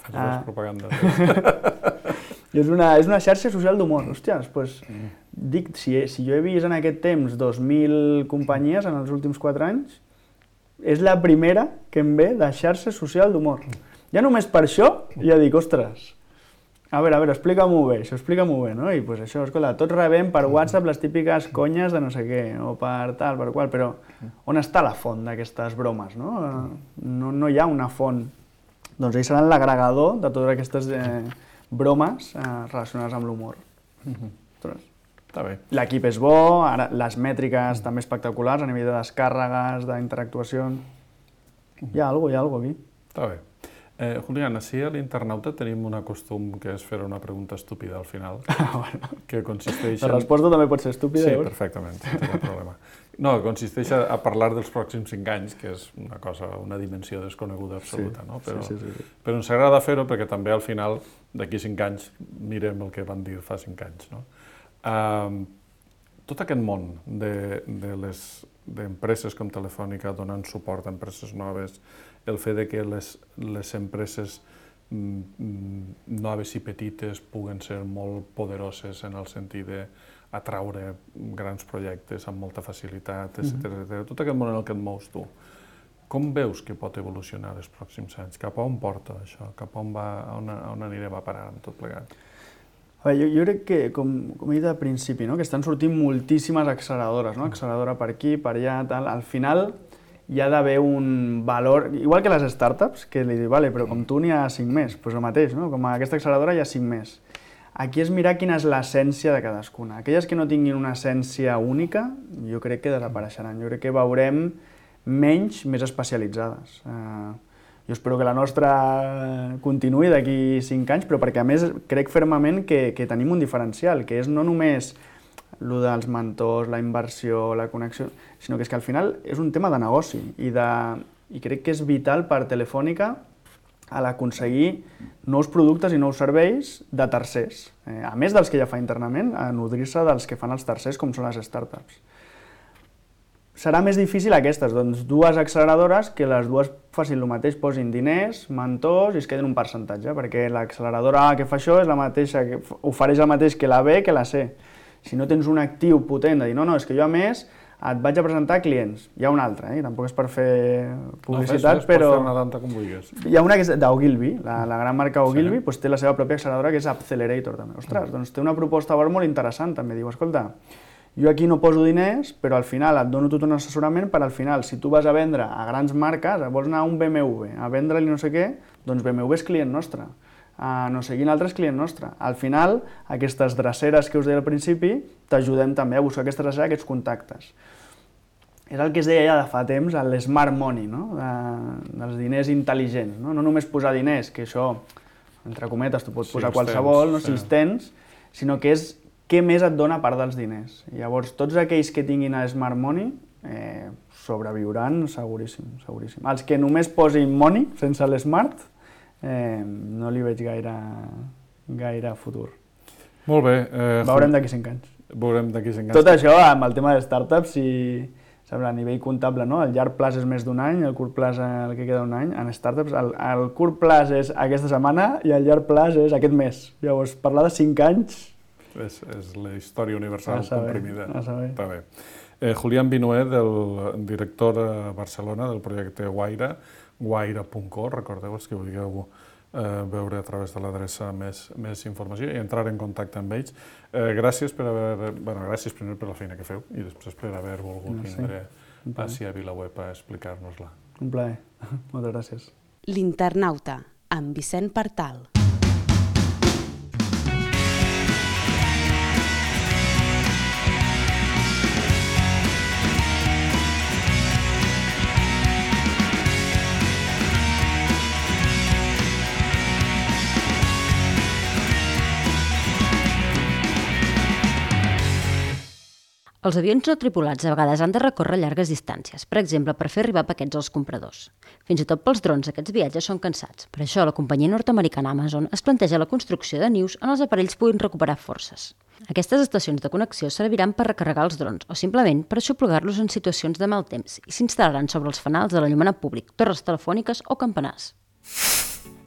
Speaker 3: Fes propaganda.
Speaker 4: És una xarxa social d'humor. Hòsties, doncs, dic, si jo he vist en aquest temps 2.000 companyies en els últims 4 anys, és la primera que em ve de xarxa social d'humor. Ja només per això ja dic, ostres, a veure, explica-m'ho bé, no? I doncs això, escolta, tots rebem per WhatsApp les típiques conyes de no sé què, o per tal, per qual, però on està la font d'aquestes bromes, no? No hi ha una font. Doncs ells seran l'agregador de totes aquestes bromes relacionades amb l'humor.
Speaker 3: Està bé.
Speaker 4: L'equip és bo, ara les mètriques també espectaculars a nivell de descàrregues, d'interactuacions. Hi ha alguna cosa aquí.
Speaker 3: Està bé. Julián, així a l'Internauta tenim un costum que és fer una pregunta estúpida al final, que consisteix en...
Speaker 4: La resposta també pot ser estúpida,
Speaker 3: Sí, perfectament, no té cap problema. No, consisteix a parlar dels pròxims 5 anys, que és una cosa, una dimensió desconeguda absoluta, no? Però ens agrada fer-ho perquè també al final, d'aquí 5 anys, mirem el que van dir fa 5 anys, no? tot aquest món d'empreses com Telefònica donant suport a empreses noves, el fet de que les empreses noves i petites puguen ser molt poderoses en el sentit d'atraure grans projectes amb molta facilitat, etc. Tot aquest món en el que et mous tu, com veus que pot evolucionar els pròxims anys? Cap a on porta això? Cap a on anirem a parar amb tot plegat?
Speaker 4: Jo crec que, com he dit al principi, que estan sortint moltíssimes acceleradores, acceleradora per aquí, per allà, tal. Al final hi ha d'haver un valor, igual que les startups, que li diu, vale, però com tu n'hi ha 5 més, doncs el mateix, com a aquesta acceleradora hi ha 5 més. Aquí és mirar quina és l'essència de cadascuna. Aquelles que no tinguin una essència única, jo crec que desapareixeran. Jo crec que veurem menys, més especialitzades. Jo espero que la nostra continuï d'aquí 5 anys, però perquè a més crec fermament que tenim un diferencial, que és no només el dels mentors, la inversió, la connexió, sinó que és que al final és un tema de negoci i crec que és vital per Telefònica a l'aconseguir nous productes i nous serveis de tercers, a més dels que ja fa internament, a nodrir-se dels que fan els tercers, com són les startups. Serà més difícil aquestes, doncs dues acceleradores que les dues facin el mateix, posin diners, mentors i es queden un percentatge, perquè l'acceleradora A que fa això és la mateixa, que ofereix el mateix que la B que la C. Si no tens un actiu potent de dir, no, és que jo a més et vaig a presentar clients. Hi ha una altra, tampoc és per fer publicitat, però...
Speaker 3: Pots fer una tanta com vulguis.
Speaker 4: Hi ha una que és d'Ogilvy, la gran marca Ogilvy, té la seva pròpia acceleradora que és Accelerator també. Ostres, doncs té una proposta molt interessant també. Diu, escolta, jo aquí no poso diners, però al final et dono tot un assessorament per al final, si tu vas a vendre a grans marques, vols anar a un BMW, a vendre-li no sé què, doncs BMW és client nostre. No sé quin altre és client nostre. Al final, aquestes dreceres que us deia al principi, t'ajudem també a buscar aquestes dreceres, aquests contactes. És el que es deia ja de fa temps, l'smart money, dels diners intel·ligents. No només posar diners, que això, entre cometes, tu pots posar qualsevol, si els tens, sinó que és què més et dona a part dels diners. Llavors, tots aquells que tinguin smart money sobreviuran seguríssim. Els que només posin money, sense l'smart, no li veig gaire futur.
Speaker 3: Molt bé.
Speaker 4: Veurem d'aquí 5 anys.
Speaker 3: Veurem d'aquí 5 anys.
Speaker 4: Tot això amb el tema de startups, a nivell comptable, el llarg plaç és més d'un any, el curt plaç el que queda un any. En startups, el curt plaç és aquesta setmana i el llarg plaç és aquest mes. Llavors, parlar de 5 anys...
Speaker 3: És la història universal comprimida.
Speaker 4: A saber.
Speaker 3: Està bé. Julián Vinuet, el director a Barcelona del projecte Guaira, guaira.co, recordeu-vos que vulgueu veure a través de l'adreça més informació i entrar en contacte amb ells. Gràcies gràcies primer per la feina que feu i després per haver volgut vindre ací a VilaWeb a explicar-nos-la.
Speaker 4: Un plaer. Moltes gràcies.
Speaker 1: L'Internauta, amb Vicent Partal.
Speaker 2: Els avions no tripulats a vegades han de recórrer llargues distàncies, per exemple, per fer arribar paquets als compradors. Fins i tot pels drons aquests viatges són cansats. Per això la companyia nord-americana Amazon es planteja la construcció de nius on els aparells puguin recuperar forces. Aquestes estacions de connexió serviran per recarregar els drons o simplement per aixoplugar-los en situacions de mal temps i s'instal·laran sobre els fanals de l'enllumenat públic, torres telefòniques o campanars.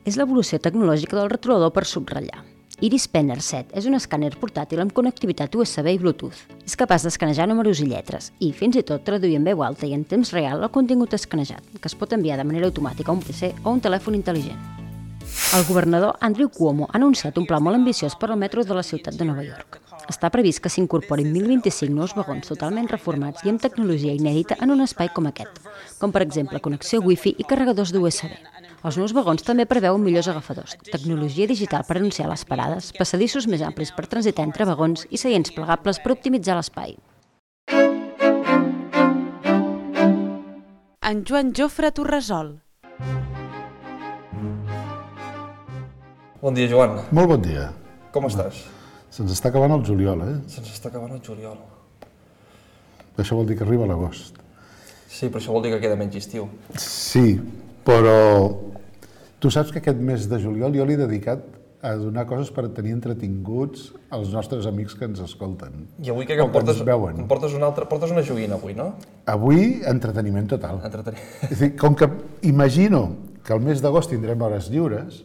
Speaker 2: És l'evolució tecnològica del retrolador per subratllar. Iris Penner 7 és un escàner portàtil amb connectivitat USB i Bluetooth. És capaç d'escanejar números i lletres i, fins i tot, traduir en veu alta i en temps real el contingut escanejat, que es pot enviar de manera automàtica a un PC o un telèfon intel·ligent. El governador Andrew Cuomo ha anunciat un pla molt ambiciós per al metro de la ciutat de Nova York. Està previst que s'incorporin 1.025 nous vagons totalment reformats i amb tecnologia inèdita en un espai com aquest, com per exemple connexió Wi-Fi i carregadors d'USB. Els nous vagons també preveuen millors agafadors, tecnologia digital per anunciar les parades, passadissos més amplis per transitar entre vagons i seients plegables per optimitzar l'espai.
Speaker 1: En Joan Jofre Torresol.
Speaker 5: Bon dia, Joan.
Speaker 6: Molt bon dia.
Speaker 5: Com estàs?
Speaker 6: Se'ns està acabant el juliol,
Speaker 5: Se'ns està acabant el juliol.
Speaker 6: Això vol dir que arriba l'agost.
Speaker 5: Sí, però això vol dir que queda menys estiu.
Speaker 6: Sí, però tu saps que aquest mes de juliol jo l'he dedicat a donar coses per tenir entretinguts els nostres amics que ens escolten.
Speaker 5: I avui què
Speaker 6: O
Speaker 5: em
Speaker 6: que
Speaker 5: portes?
Speaker 6: ens veuen.
Speaker 5: Em portes una altra... Portes una joguina avui, no?
Speaker 6: Avui, entreteniment total.
Speaker 5: Entreteniment.
Speaker 6: És a dir, com que imagino que al mes d'agost tindrem hores lliures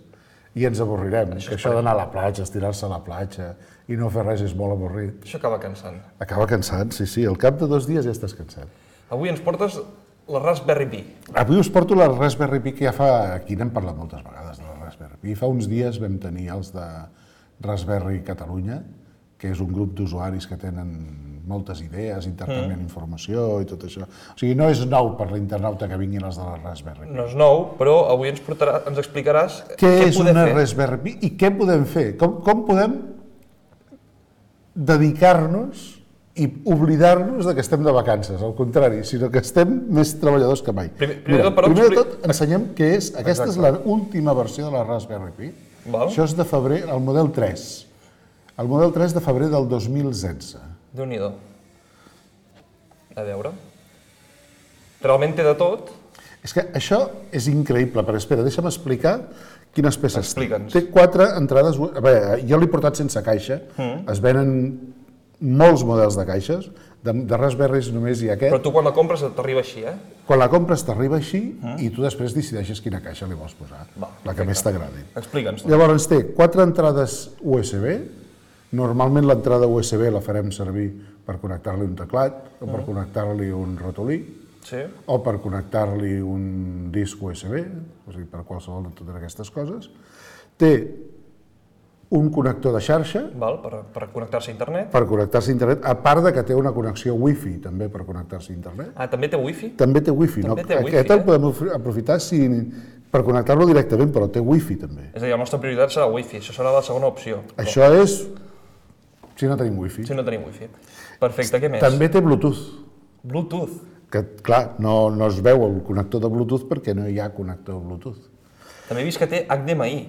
Speaker 6: i ens avorrirem, que això d'anar a la platja, estirar-se a la platja i no fer res és molt avorrit.
Speaker 5: Això acaba cansant.
Speaker 6: Acaba cansat, sí. Al cap de 2 dies ja estàs cansat.
Speaker 5: Avui ens portes la Raspberry Pi.
Speaker 6: Avui us porto la Raspberry Pi, que ja fa... Aquí n'hem parlat moltes vegades de la Raspberry Pi. Fa uns dies vam tenir els de Raspberry Catalunya, que és un grup d'usuaris que tenen moltes idees, intercanvien informació i tot això. O sigui, no és nou per l'internauta que vinguin els de la Raspberry Pi.
Speaker 5: No és nou, però avui ens explicaràs
Speaker 6: Què és
Speaker 5: podem
Speaker 6: una
Speaker 5: fer.
Speaker 6: Raspberry Pi i què podem fer? Com podem dedicar-nos i oblidar-nos de que estem de vacances, al contrari, sinó que estem més treballadors que mai.
Speaker 5: Primer
Speaker 6: Primer de tot, ensenyem què és. Aquesta és l'última versió de la Raspberry Pi.
Speaker 5: Val.
Speaker 6: Això és de febrer, el model 3. El model 3 de febrer del 2016.
Speaker 5: Déu-n'hi-do. A veure. Realment té de tot.
Speaker 6: És que això és increïble, però espera, deixa'm explicar quines peces té.
Speaker 5: Explica'ns.
Speaker 6: Té 4 entrades... A veure, jo l'he portat sense caixa, es venen molts models de caixes, de Raspberries només hi ha aquest.
Speaker 5: Però tu quan la compres t'arriba així, eh?
Speaker 6: Quan la compres t'arriba així i tu després decideixes quina caixa li vols posar, la que més t'agradi.
Speaker 5: Explica'ns.
Speaker 6: Llavors té 4 entrades USB, normalment l'entrada USB la farem servir per connectar-li un teclat, o per connectar-li un ratolí,
Speaker 5: Sí.
Speaker 6: o per connectar-li un disc USB, o sigui, per qualsevol de totes aquestes coses. Té un connector de xarxa,
Speaker 5: Val, per connectar-se a internet.
Speaker 6: per connectar-se a internet, a part de que té una connexió Wi-Fi també per connectar-se a internet.
Speaker 5: Ah, també té wifi?
Speaker 6: També té Wi-Fi, no?
Speaker 5: També té Wi-Fi,
Speaker 6: Aquest el podem aprofitar per connectar-lo directament, però té Wi-Fi també.
Speaker 5: És a dir, la nostra prioritat serà wifi, això serà la segona opció.
Speaker 6: Això és si no tenim Wi-Fi.
Speaker 5: Si no tenim wifi. Perfecte, què més?
Speaker 6: També té Bluetooth,
Speaker 5: Bluetooth.
Speaker 6: que clar, no es veu el connector de Bluetooth perquè no hi ha connector Bluetooth.
Speaker 5: També he vist que té HDMI.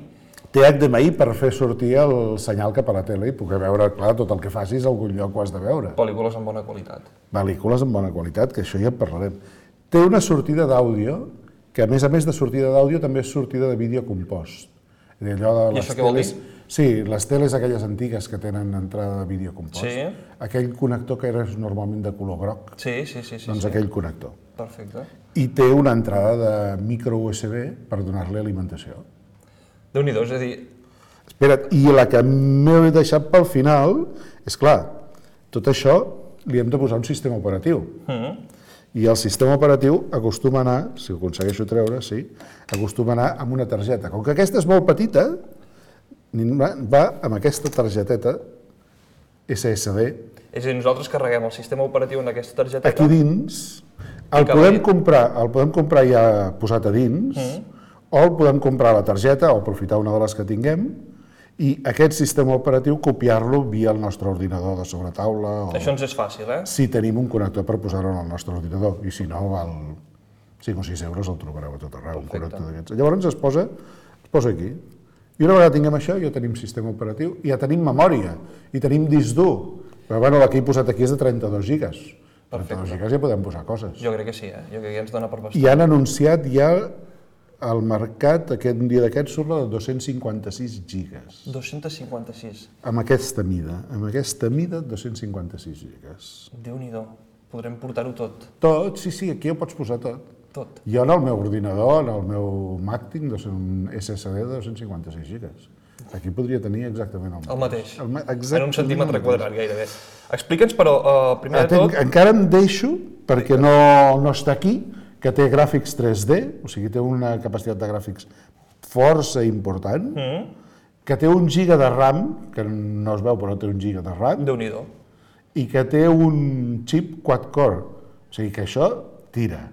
Speaker 6: Té HDMI per fer sortir el senyal cap a la tele i poder veure, clar, tot el que facis a algun lloc ho has de veure.
Speaker 5: Pel·lícules amb bona qualitat.
Speaker 6: Pel·lícules amb bona qualitat, que això ja en parlarem. Té una sortida d'àudio, que a més de sortida d'àudio també és sortida de vídeo compost. És a dir, allò de
Speaker 5: I
Speaker 6: les
Speaker 5: això què vol dir?
Speaker 6: Sí, les teles aquelles antigues que tenen entrada de vídeo compost.
Speaker 5: Sí.
Speaker 6: Aquell connector que era normalment de color groc,
Speaker 5: Sí.
Speaker 6: doncs aquell connector.
Speaker 5: Perfecte.
Speaker 6: I té una entrada de micro USB per donar-li alimentació.
Speaker 5: Déu-n'hi-do, és a dir,
Speaker 6: Espera't, i la que m'he deixat pel final, és clar, tot això li hem de posar un sistema operatiu. I el sistema operatiu acostuma a anar, si ho aconsegueixo treure, sí, acostuma a anar amb una targeta. Com que aquesta és molt petita, va amb aquesta targeteta SSD.
Speaker 5: És a dir, nosaltres carreguem el sistema operatiu en aquesta targeteta.
Speaker 6: Aquí dins, el podem comprar ja posat a dins, o el podem comprar a la targeta o aprofitar una de les que tinguem i aquest sistema operatiu copiar-lo via el nostre ordinador de sobretaula o
Speaker 5: Això ens és fàcil, eh?
Speaker 6: si tenim un connector per posar-ho en el nostre ordinador i si no val 5 o 6 euros el trobareu a tot arreu, un connector d'aquests. Llavors es posa aquí. I una vegada tinguem això ja tenim sistema operatiu i ja tenim memòria i tenim disc dur. Però bueno, la que he posat aquí és de 32 gigas. 32 gigas ja podem posar coses.
Speaker 5: Jo crec que sí, Jo crec que ja ens dona per bastant.
Speaker 6: I han anunciat ja al mercat, un dia d'aquests, surt la de 256 gigas.
Speaker 5: 256.
Speaker 6: Amb aquesta mida, 256 gigas.
Speaker 5: Déu-n'hi-do. Podrem portar-ho tot.
Speaker 6: Tot, sí, aquí ho pots posar tot.
Speaker 5: Tot.
Speaker 6: Jo en el meu ordinador, en el meu Mac, tinc un SSD de 256 gigas. Aquí podria tenir exactament el mateix.
Speaker 5: El mateix.
Speaker 6: Exactament
Speaker 5: En un centímetre
Speaker 6: el mateix.
Speaker 5: quadrat, gairebé. Explica'ns, però, primer de tot...
Speaker 6: Encara em deixo, perquè no està aquí, que té gràfics 3D, o sigui, té una capacitat de gràfics força important, que té 1 giga de RAM, que no es veu però té 1 giga de RAM,
Speaker 5: Déu-n'hi-do.
Speaker 6: i que té un xip quad-core, o sigui que això tira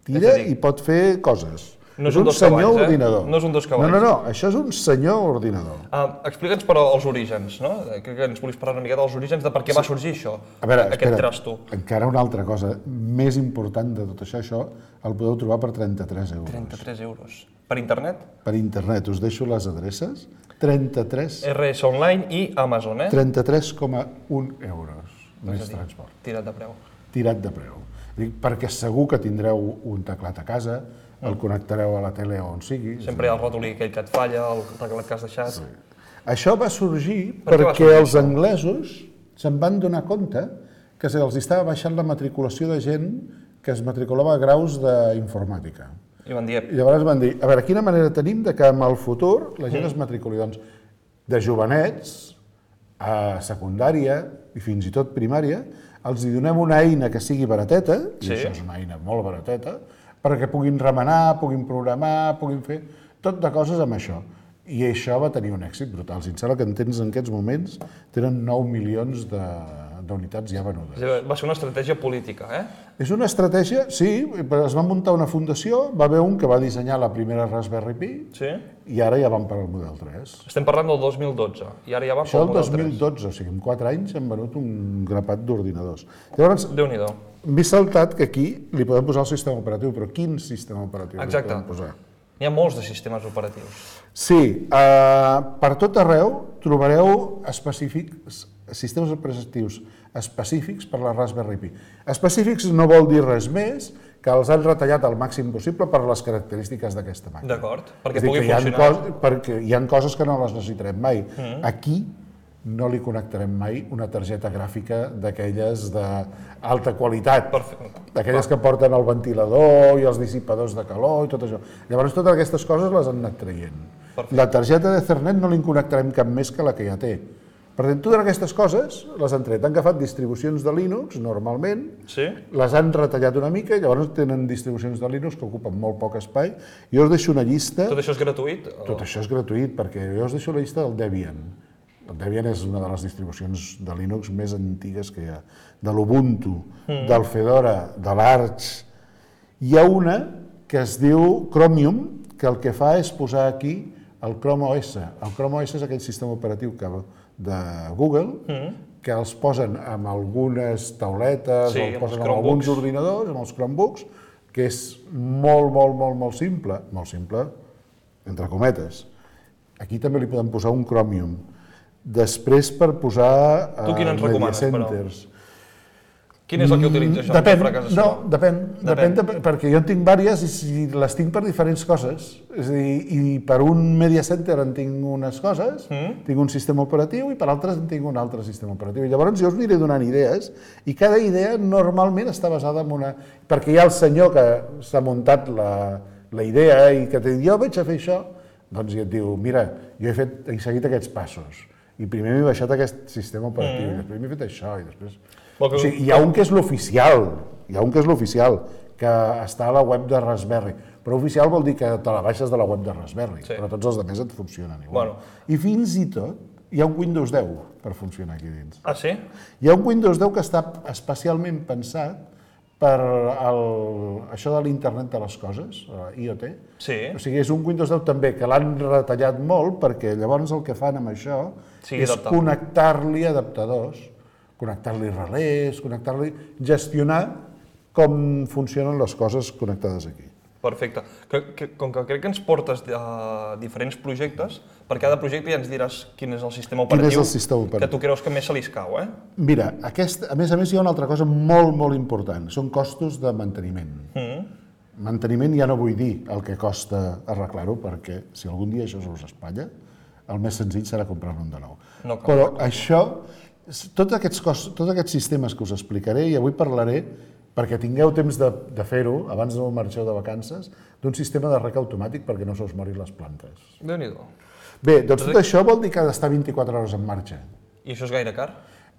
Speaker 6: i pot fer coses.
Speaker 5: No és un dos cavalls,
Speaker 6: ordinador.
Speaker 5: No és un dos cavalls.
Speaker 6: No, això és un senyor ordinador.
Speaker 5: Explica'ns, però, els orígens, no? Crec que ens volies parlar una miqueta dels orígens de per què va sorgir això,
Speaker 6: A veure,
Speaker 5: aquest trasto.
Speaker 6: encara una altra cosa més important de tot això el podeu trobar per 33 euros.
Speaker 5: 33 euros. Per internet?
Speaker 6: Per internet, us deixo les adreces. 33
Speaker 5: RS Online i Amazon,
Speaker 6: 33,1 euros més transport.
Speaker 5: Tirat de preu.
Speaker 6: Tirat de preu. Dic, perquè segur que tindreu un teclat a casa, el connectareu a la tele o on sigui.
Speaker 5: Sempre hi ha el ratolí aquell que et falla, el teclat que has deixat.
Speaker 6: Això va sorgir
Speaker 5: Per què va
Speaker 6: perquè
Speaker 5: sorgir
Speaker 6: els anglesos se'n van donar compte que se'ls estava baixant la matriculació de gent que es matriculava a graus d'informàtica.
Speaker 5: I van dir...
Speaker 6: I llavors van dir, a veure, quina manera tenim de que en el futur la gent es matriculi? Doncs de jovenets a secundària i fins i tot primària, els hi donem una eina que sigui barateta, i això és una eina molt barateta, perquè puguin remenar, puguin programar, puguin fer tot de coses amb això. I això va tenir un èxit brutal. Si em sembla que en aquests moments tenen 9 milions d'unitats ja venudes.
Speaker 5: Va ser una estratègia política,
Speaker 6: És una estratègia, sí, però es va muntar una fundació, va haver un que va dissenyar la primera Raspberry Pi i ara ja van per al model 3.
Speaker 5: Estem parlant del 2012 i ara ja van
Speaker 6: Això
Speaker 5: pel
Speaker 6: el
Speaker 5: model 3.
Speaker 6: 2012, o sigui, en 4 anys hem venut un grapat d'ordinadors. Llavors,
Speaker 5: Déu-n'hi-do.
Speaker 6: m'he saltat que aquí li podem posar el sistema operatiu, però quin sistema operatiu li podem posar?
Speaker 5: N'hi ha molts de sistemes operatius.
Speaker 6: Sí, per tot arreu trobareu sistemes operatius específics per la Raspberry Pi. Específics no vol dir res més que els han retallat al màxim possible per les característiques d'aquesta màquina.
Speaker 5: D'acord, perquè pugui funcionar.
Speaker 6: Perquè hi ha coses que no les necessitarem mai. Aquí no li connectarem mai una targeta gràfica d'aquelles d'alta qualitat, d'aquelles que porten el ventilador i els dissipadors de calor i tot això. Llavors totes aquestes coses les han anat traient. La targeta d'Ethernet no li connectarem cap més que la que ja té. Per tant, totes aquestes coses les han tret. Han agafat distribucions de Linux, normalment, les han retallat una mica i llavors tenen distribucions de Linux que ocupen molt poc espai. Jo us deixo una llista...
Speaker 5: Tot això és gratuït?
Speaker 6: Tot això és gratuït, perquè jo us deixo la llista del Debian. El Debian és una de les distribucions de Linux més antigues que hi ha. De l'Ubuntu, del Fedora, de l'Arch. Hi ha una que es diu Chromium, que el que fa és posar aquí el Chrome OS. El Chrome OS és aquell sistema operatiu de Google que els posen amb algunes tauletes, o els posen amb alguns ordinadors, amb els Chromebooks, que és molt simple, entre cometes. Aquí també li podem posar un Chromium. Després per posar
Speaker 5: tu quin ens recomanes,
Speaker 6: centers.
Speaker 5: Quin és el que utilitzes això?
Speaker 6: Depèn, perquè jo en tinc diverses i les tinc per diferents coses. És a dir, i per un media center en tinc unes coses, tinc un sistema operatiu i per altres en tinc un altre sistema operatiu. I llavors jo us aniré donant idees i cada idea normalment està basada en una... Perquè hi ha el senyor que s'ha muntat la idea i que t'ha dit jo vaig a fer això, doncs ja et diu mira, jo he seguit aquests passos i primer m'he baixat aquest sistema operatiu i després m'he fet això i després... O sigui, hi ha un que és l'oficial, que està a la web de Raspberry, però oficial vol dir que te la baixes de la web de Raspberry, però tots els altres et funcionen igual. I fins i tot hi ha un Windows 10 per funcionar aquí dins.
Speaker 5: Ah, sí?
Speaker 6: Hi ha un Windows 10 que està especialment pensat per això de l'internet de les coses, IoT.
Speaker 5: Sí.
Speaker 6: O sigui, és un Windows 10 també que l'han retallat molt perquè llavors el que fan amb això és connectar-li adaptadors, connectar-li relés, gestionar com funcionen les coses connectades aquí.
Speaker 5: Perfecte. Com que crec que ens portes diferents projectes, per cada projecte ja ens diràs quin és el sistema operatiu que tu creus que més se li escau,
Speaker 6: Mira, a més hi ha una altra cosa molt important, són costos de manteniment. Manteniment ja no vull dir el que costa arreglar-ho, perquè si algun dia això us espatlla, el més senzill serà comprar-ne un de nou. Però això, tots aquests sistemes que us explicaré, i avui parlaré, perquè tingueu temps de fer-ho, abans no marxeu de vacances, d'un sistema de rec automàtic perquè no se us morin les plantes.
Speaker 5: Déu-n'hi-do.
Speaker 6: Bé, doncs tot això vol dir que ha d'estar 24 hores en marxa.
Speaker 5: I això és gaire car?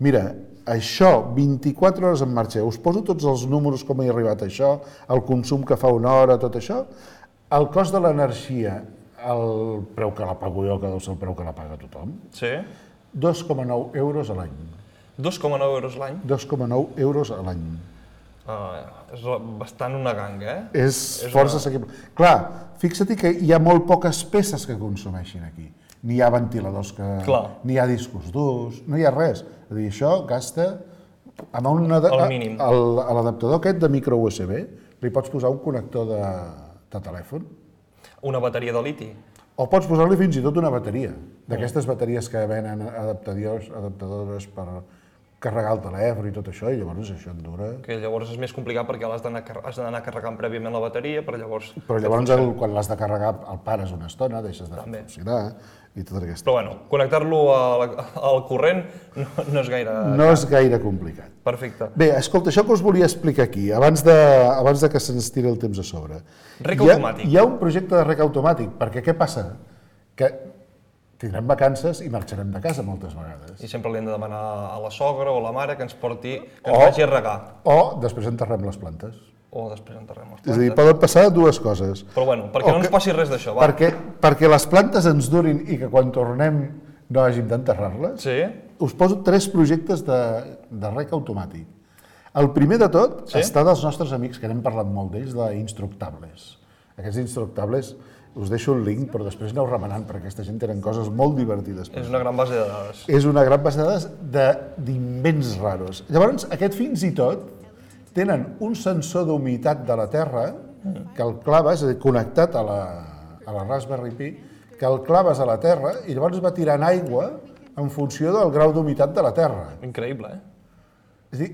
Speaker 6: Mira, això, 24 hores en marxa, us poso tots els números com he arribat a això, el consum que fa una hora, tot això, el cost de l'energia, el preu que la pago jo, que deu ser el preu que la paga tothom, 2,9 euros a l'any.
Speaker 5: 2,9 euros l'any?
Speaker 6: 2,9 euros a l'any.
Speaker 5: És bastant una ganga,
Speaker 6: És força assequible. Clar, fixa't que hi ha molt poques peces que consumeixin aquí. Ni hi ha ventiladors, ni hi ha discos durs, no hi ha res. És a dir, això gasta...
Speaker 5: El mínim.
Speaker 6: A l'adaptador aquest de micro USB li pots posar un connector de telèfon.
Speaker 5: Una bateria de liti.
Speaker 6: O pots posar-li fins i tot una bateria, d'aquestes bateries que venen adaptadores per carregar el telèfon i tot això, i llavors això et dura...
Speaker 5: Que llavors és més complicat perquè has d'anar carregant prèviament la bateria, però llavors...
Speaker 6: Però llavors quan l'has de carregar el pares una estona, deixes de funcionar i tot aquest...
Speaker 5: Però bueno, connectar-lo al corrent no és gaire...
Speaker 6: No és gaire complicat.
Speaker 5: Perfecte.
Speaker 6: Bé, escolta, això que us volia explicar aquí, abans de que se'ns tiri el temps a sobre.
Speaker 5: Rec automàtic.
Speaker 6: Hi ha un projecte de rec automàtic, perquè què passa? Que tindrem vacances i marxarem de casa moltes vegades.
Speaker 5: I sempre li hem de demanar a la sogra o a la mare que ens porti, que ens vagi a regar.
Speaker 6: O després enterrem les plantes.
Speaker 5: O després enterrem les
Speaker 6: És a dir,
Speaker 5: plantes.
Speaker 6: poden passar dues coses.
Speaker 5: Però bueno, perquè no ens passi res d'això, va.
Speaker 6: Perquè les plantes ens durin i que quan tornem no hàgim d'enterrar-les,
Speaker 5: Sí?
Speaker 6: us poso 3 projectes de rec automàtic. El primer de tot està dels nostres amics, que n'hem parlat molt d'ells, d'Instructables. Aquests Instructables, us deixo el link, però després aneu remenant, perquè aquesta gent tenen coses molt divertides.
Speaker 5: És una gran base de dades.
Speaker 6: És una gran base de dades d'invents raros. Llavors, aquest fins i tot tenen un sensor d'humitat de la Terra que el claves, és a dir, connectat a la Raspberry Pi, que el claves a la Terra i llavors va tirant aigua en funció del grau d'humitat de la Terra.
Speaker 5: Increïble,
Speaker 6: És a dir,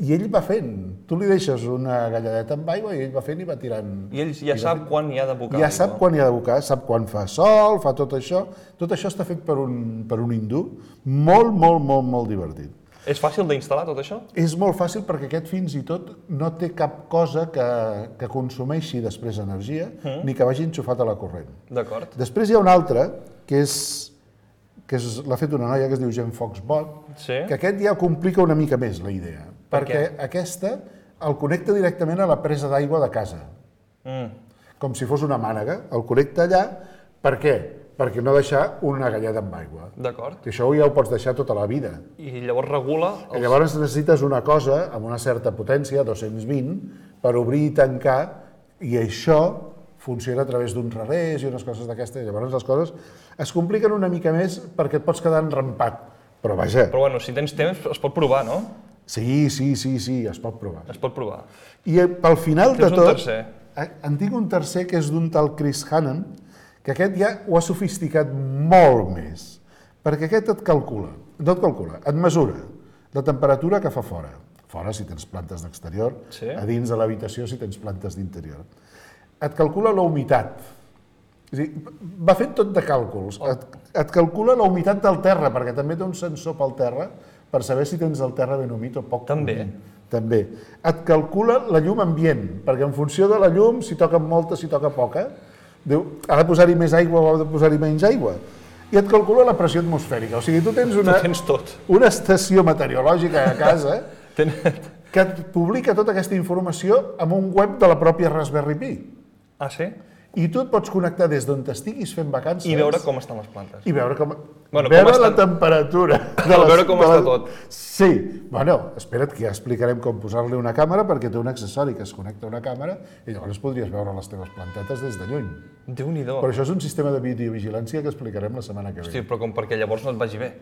Speaker 6: i ell va fent. Tu li deixes una galladeta amb aigua i ell va fent i va tirant.
Speaker 5: I ell ja sap quan hi ha d'abocar.
Speaker 6: Ja sap quan hi ha d'abocar, sap quan fa sol, fa tot això. Tot això està fet per un hindú molt, molt, molt, molt divertit.
Speaker 5: És fàcil d'instal·lar tot això?
Speaker 6: És molt fàcil perquè aquest fins i tot no té cap cosa que consumeixi després energia ni que vagi enxufat a la corrent.
Speaker 5: D'acord.
Speaker 6: Després hi ha un altre que l'ha fet una noia que es diu Jen Foxbot, que aquest ja complica una mica més la idea. Perquè aquesta el connecta directament a la presa d'aigua de casa. Com si fos una mànega. El connecta allà. Per què? Perquè no deixar una galleda amb aigua.
Speaker 5: D'acord.
Speaker 6: Això ja ho pots deixar tota la vida.
Speaker 5: I llavors regula...
Speaker 6: Llavors necessites una cosa amb una certa potència, 220, per obrir i tancar, i això funciona a través d'uns revés i unes coses d'aquestes. Llavors les coses es compliquen una mica més perquè et pots quedar enrampat. Però vaja...
Speaker 5: Però bueno, si tens temps es pot provar, no?
Speaker 6: Sí, es pot provar.
Speaker 5: Es pot provar.
Speaker 6: I pel final de tot...
Speaker 5: Tens un tercer.
Speaker 6: En tinc un tercer que és d'un tal Chris Hannan, que aquest ja ho ha sofisticat molt més, perquè aquest et calcula, et mesura la temperatura que fa fora. Fora si tens plantes d'exterior, a dins de l'habitació si tens plantes d'interior. Et calcula la humitat. És a dir, va fent tot de càlculs. Et calcula la humitat del terra, perquè també té un sensor pel terra per saber si tens el terra ben humit o poc humit. També. Et calcula la llum ambient, perquè en funció de la llum, si toca molta, si toca poca, diu, ha de posar-hi més aigua o ha de posar-hi menys aigua. I et calcula la pressió atmosfèrica. O sigui, tu tens una estació meteorològica a casa que et publica tota aquesta informació en un web de la pròpia Raspberry Pi.
Speaker 5: Ah, sí?
Speaker 6: I tu et pots connectar des d'on t'estiguis fent vacances...
Speaker 5: I veure com estan les plantes.
Speaker 6: I veure veure la temperatura.
Speaker 5: Veure com està tot.
Speaker 6: Sí. Bueno, espera't que ja explicarem com posar-li una càmera, perquè té un accessori que es connecta a una càmera i llavors podries veure les teves plantetes des de lluny.
Speaker 5: Déu-n'hi-do.
Speaker 6: Però això és un sistema de videovigilància que explicarem la setmana que ve.
Speaker 5: Hosti, però com perquè llavors no et vagi bé.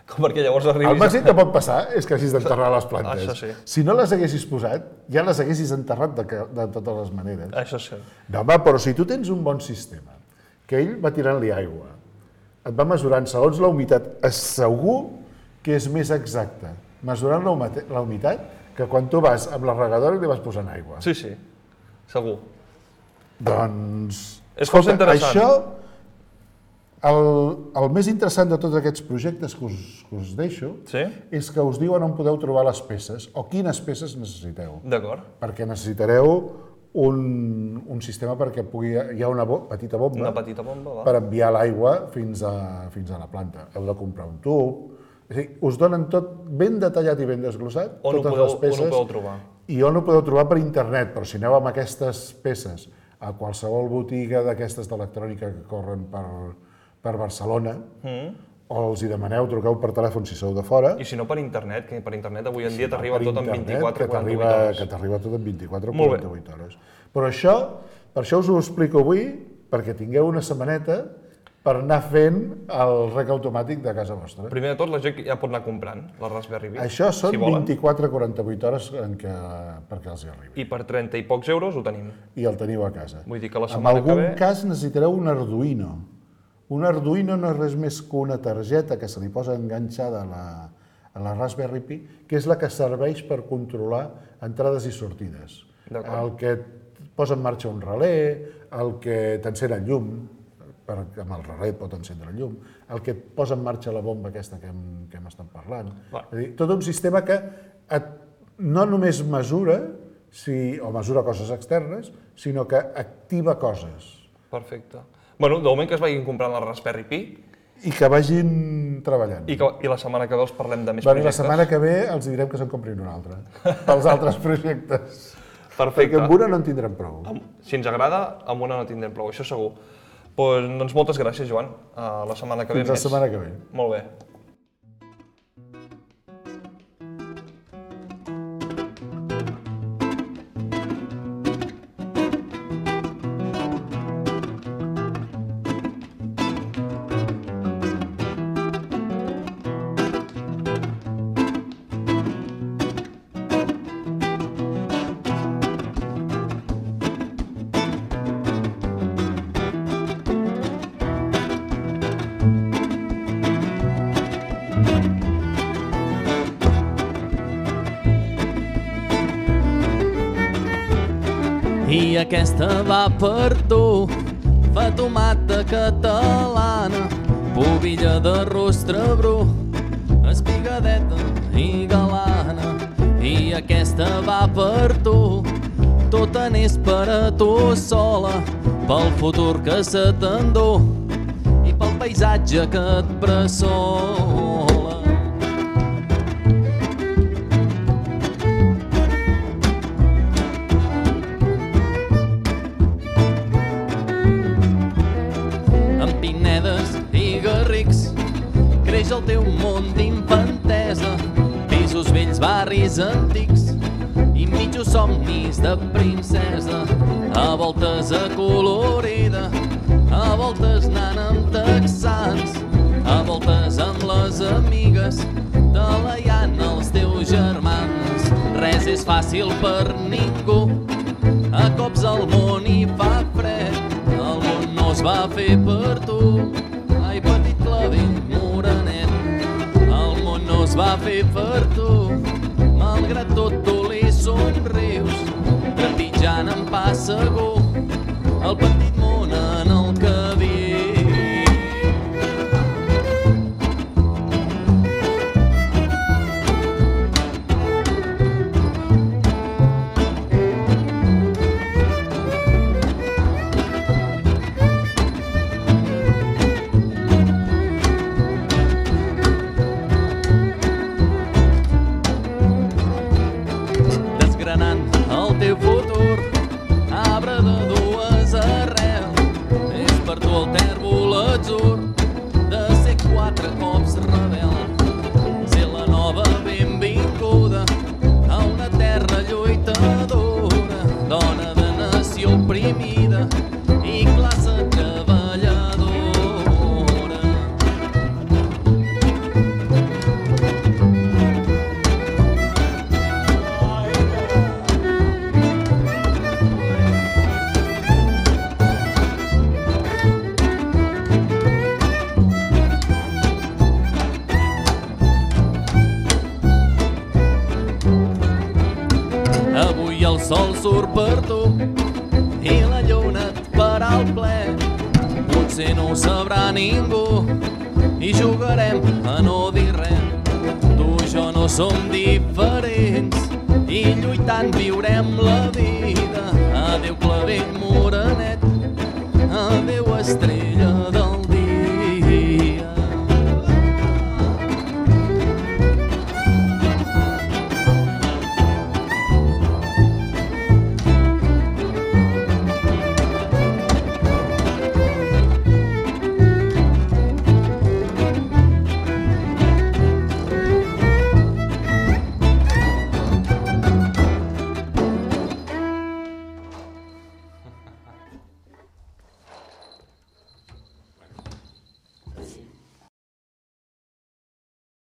Speaker 5: Com perquè llavors arribis...
Speaker 6: El màxim que pot passar és que hagis d'enterrar les plantes.
Speaker 5: Això sí.
Speaker 6: Si no les haguessis posat, ja les haguessis enterrat de totes les maneres.
Speaker 5: Això sí.
Speaker 6: No, home, però si tu tens un bon sistema, que ell va tirant-li aigua, et va mesurant segons la humitat, és segur que és més exacte mesurant la humitat que quan tu vas amb la regadora i li vas posant aigua.
Speaker 5: Sí, sí. Segur.
Speaker 6: Doncs...
Speaker 5: És força interessant.
Speaker 6: Això... El més interessant de tots aquests projectes que us deixo és que us diuen on podeu trobar les peces o quines peces necessiteu.
Speaker 5: D'acord.
Speaker 6: Perquè necessitareu un sistema perquè hi ha una petita bomba per enviar l'aigua fins a la planta. Heu de comprar un tub. És a dir, us donen tot ben detallat i ben desglossat, totes les peces.
Speaker 5: On ho podeu trobar?
Speaker 6: I on ho podeu trobar per internet, però si aneu amb aquestes peces a qualsevol botiga d'aquestes d'electrònica que corren per Barcelona, o els hi demaneu, truqueu per telèfon si sou de fora.
Speaker 5: I si no per internet, que per internet avui en dia t'arriba tot en 24 o 48 hores.
Speaker 6: Que t'arriba tot en 24 o 48 hores. Però això, per això us ho explico avui, perquè tingueu una setmaneta per anar fent el rec automàtic de casa vostra.
Speaker 5: Primer de tot, la gent ja pot anar comprant la Raspberry Pi.
Speaker 6: Això són 24 o 48 hores perquè els hi arribi.
Speaker 5: I per 30 i pocs euros ho tenim.
Speaker 6: I el teniu a casa.
Speaker 5: Vull dir que la setmana que ve...
Speaker 6: En algun cas necessitareu un Arduino. Un Arduino no és res més que una targeta que se li posa enganxada a la Raspberry Pi, que és la que serveix per controlar entrades i sortides. El que posa en marxa un relé, el que t'encén el llum, amb el relé pot encendre el llum, el que posa en marxa la bomba aquesta que hem estat parlant. És a dir, tot un sistema que no només mesura, o mesura coses externes, sinó que activa coses.
Speaker 5: Perfecte. Bueno, de moment que es vagin comprant la Raspberry Pi.
Speaker 6: I que vagin treballant.
Speaker 5: I la setmana que ve els parlem de més projectes.
Speaker 6: La setmana que ve els direm que se'n comprin un altre, pels altres projectes.
Speaker 5: Perfecte.
Speaker 6: Perquè amb una no en tindrem prou.
Speaker 5: Si ens agrada, amb una no tindrem prou, això segur. Doncs moltes gràcies, Joan. La setmana que ve més.
Speaker 6: Fins la setmana que ve.
Speaker 5: Molt bé.
Speaker 7: I aquesta va per tu, fa tomata catalana, pubilla de rostre bru, espigadeta i galana. I aquesta va per tu, tota n'és per a tu sola, pel futur que se t'endú i pel paisatge que et bressola. Creix el teu món d'infantesa, pisos vells, barris antics i mitjos somnis de princesa. A voltes acolorida, a voltes anant amb texans, a voltes amb les amigues, talaiant els teus germans. Res és fàcil per ningú, a cops el món hi fa fred, el món no es va fer per tu. Ai, petit clavell morenet, el món no es va fer per tu. Malgrat tot tu li somrius, trepitjant en pas segur el petit món en el que vius. sol surt per tu i la lluna et farà el ple. Potser no ho sabrà ningú i jugarem a no dir res. Tu i jo no som diferents i lluitant viurem la vida. Adéu clavell morat.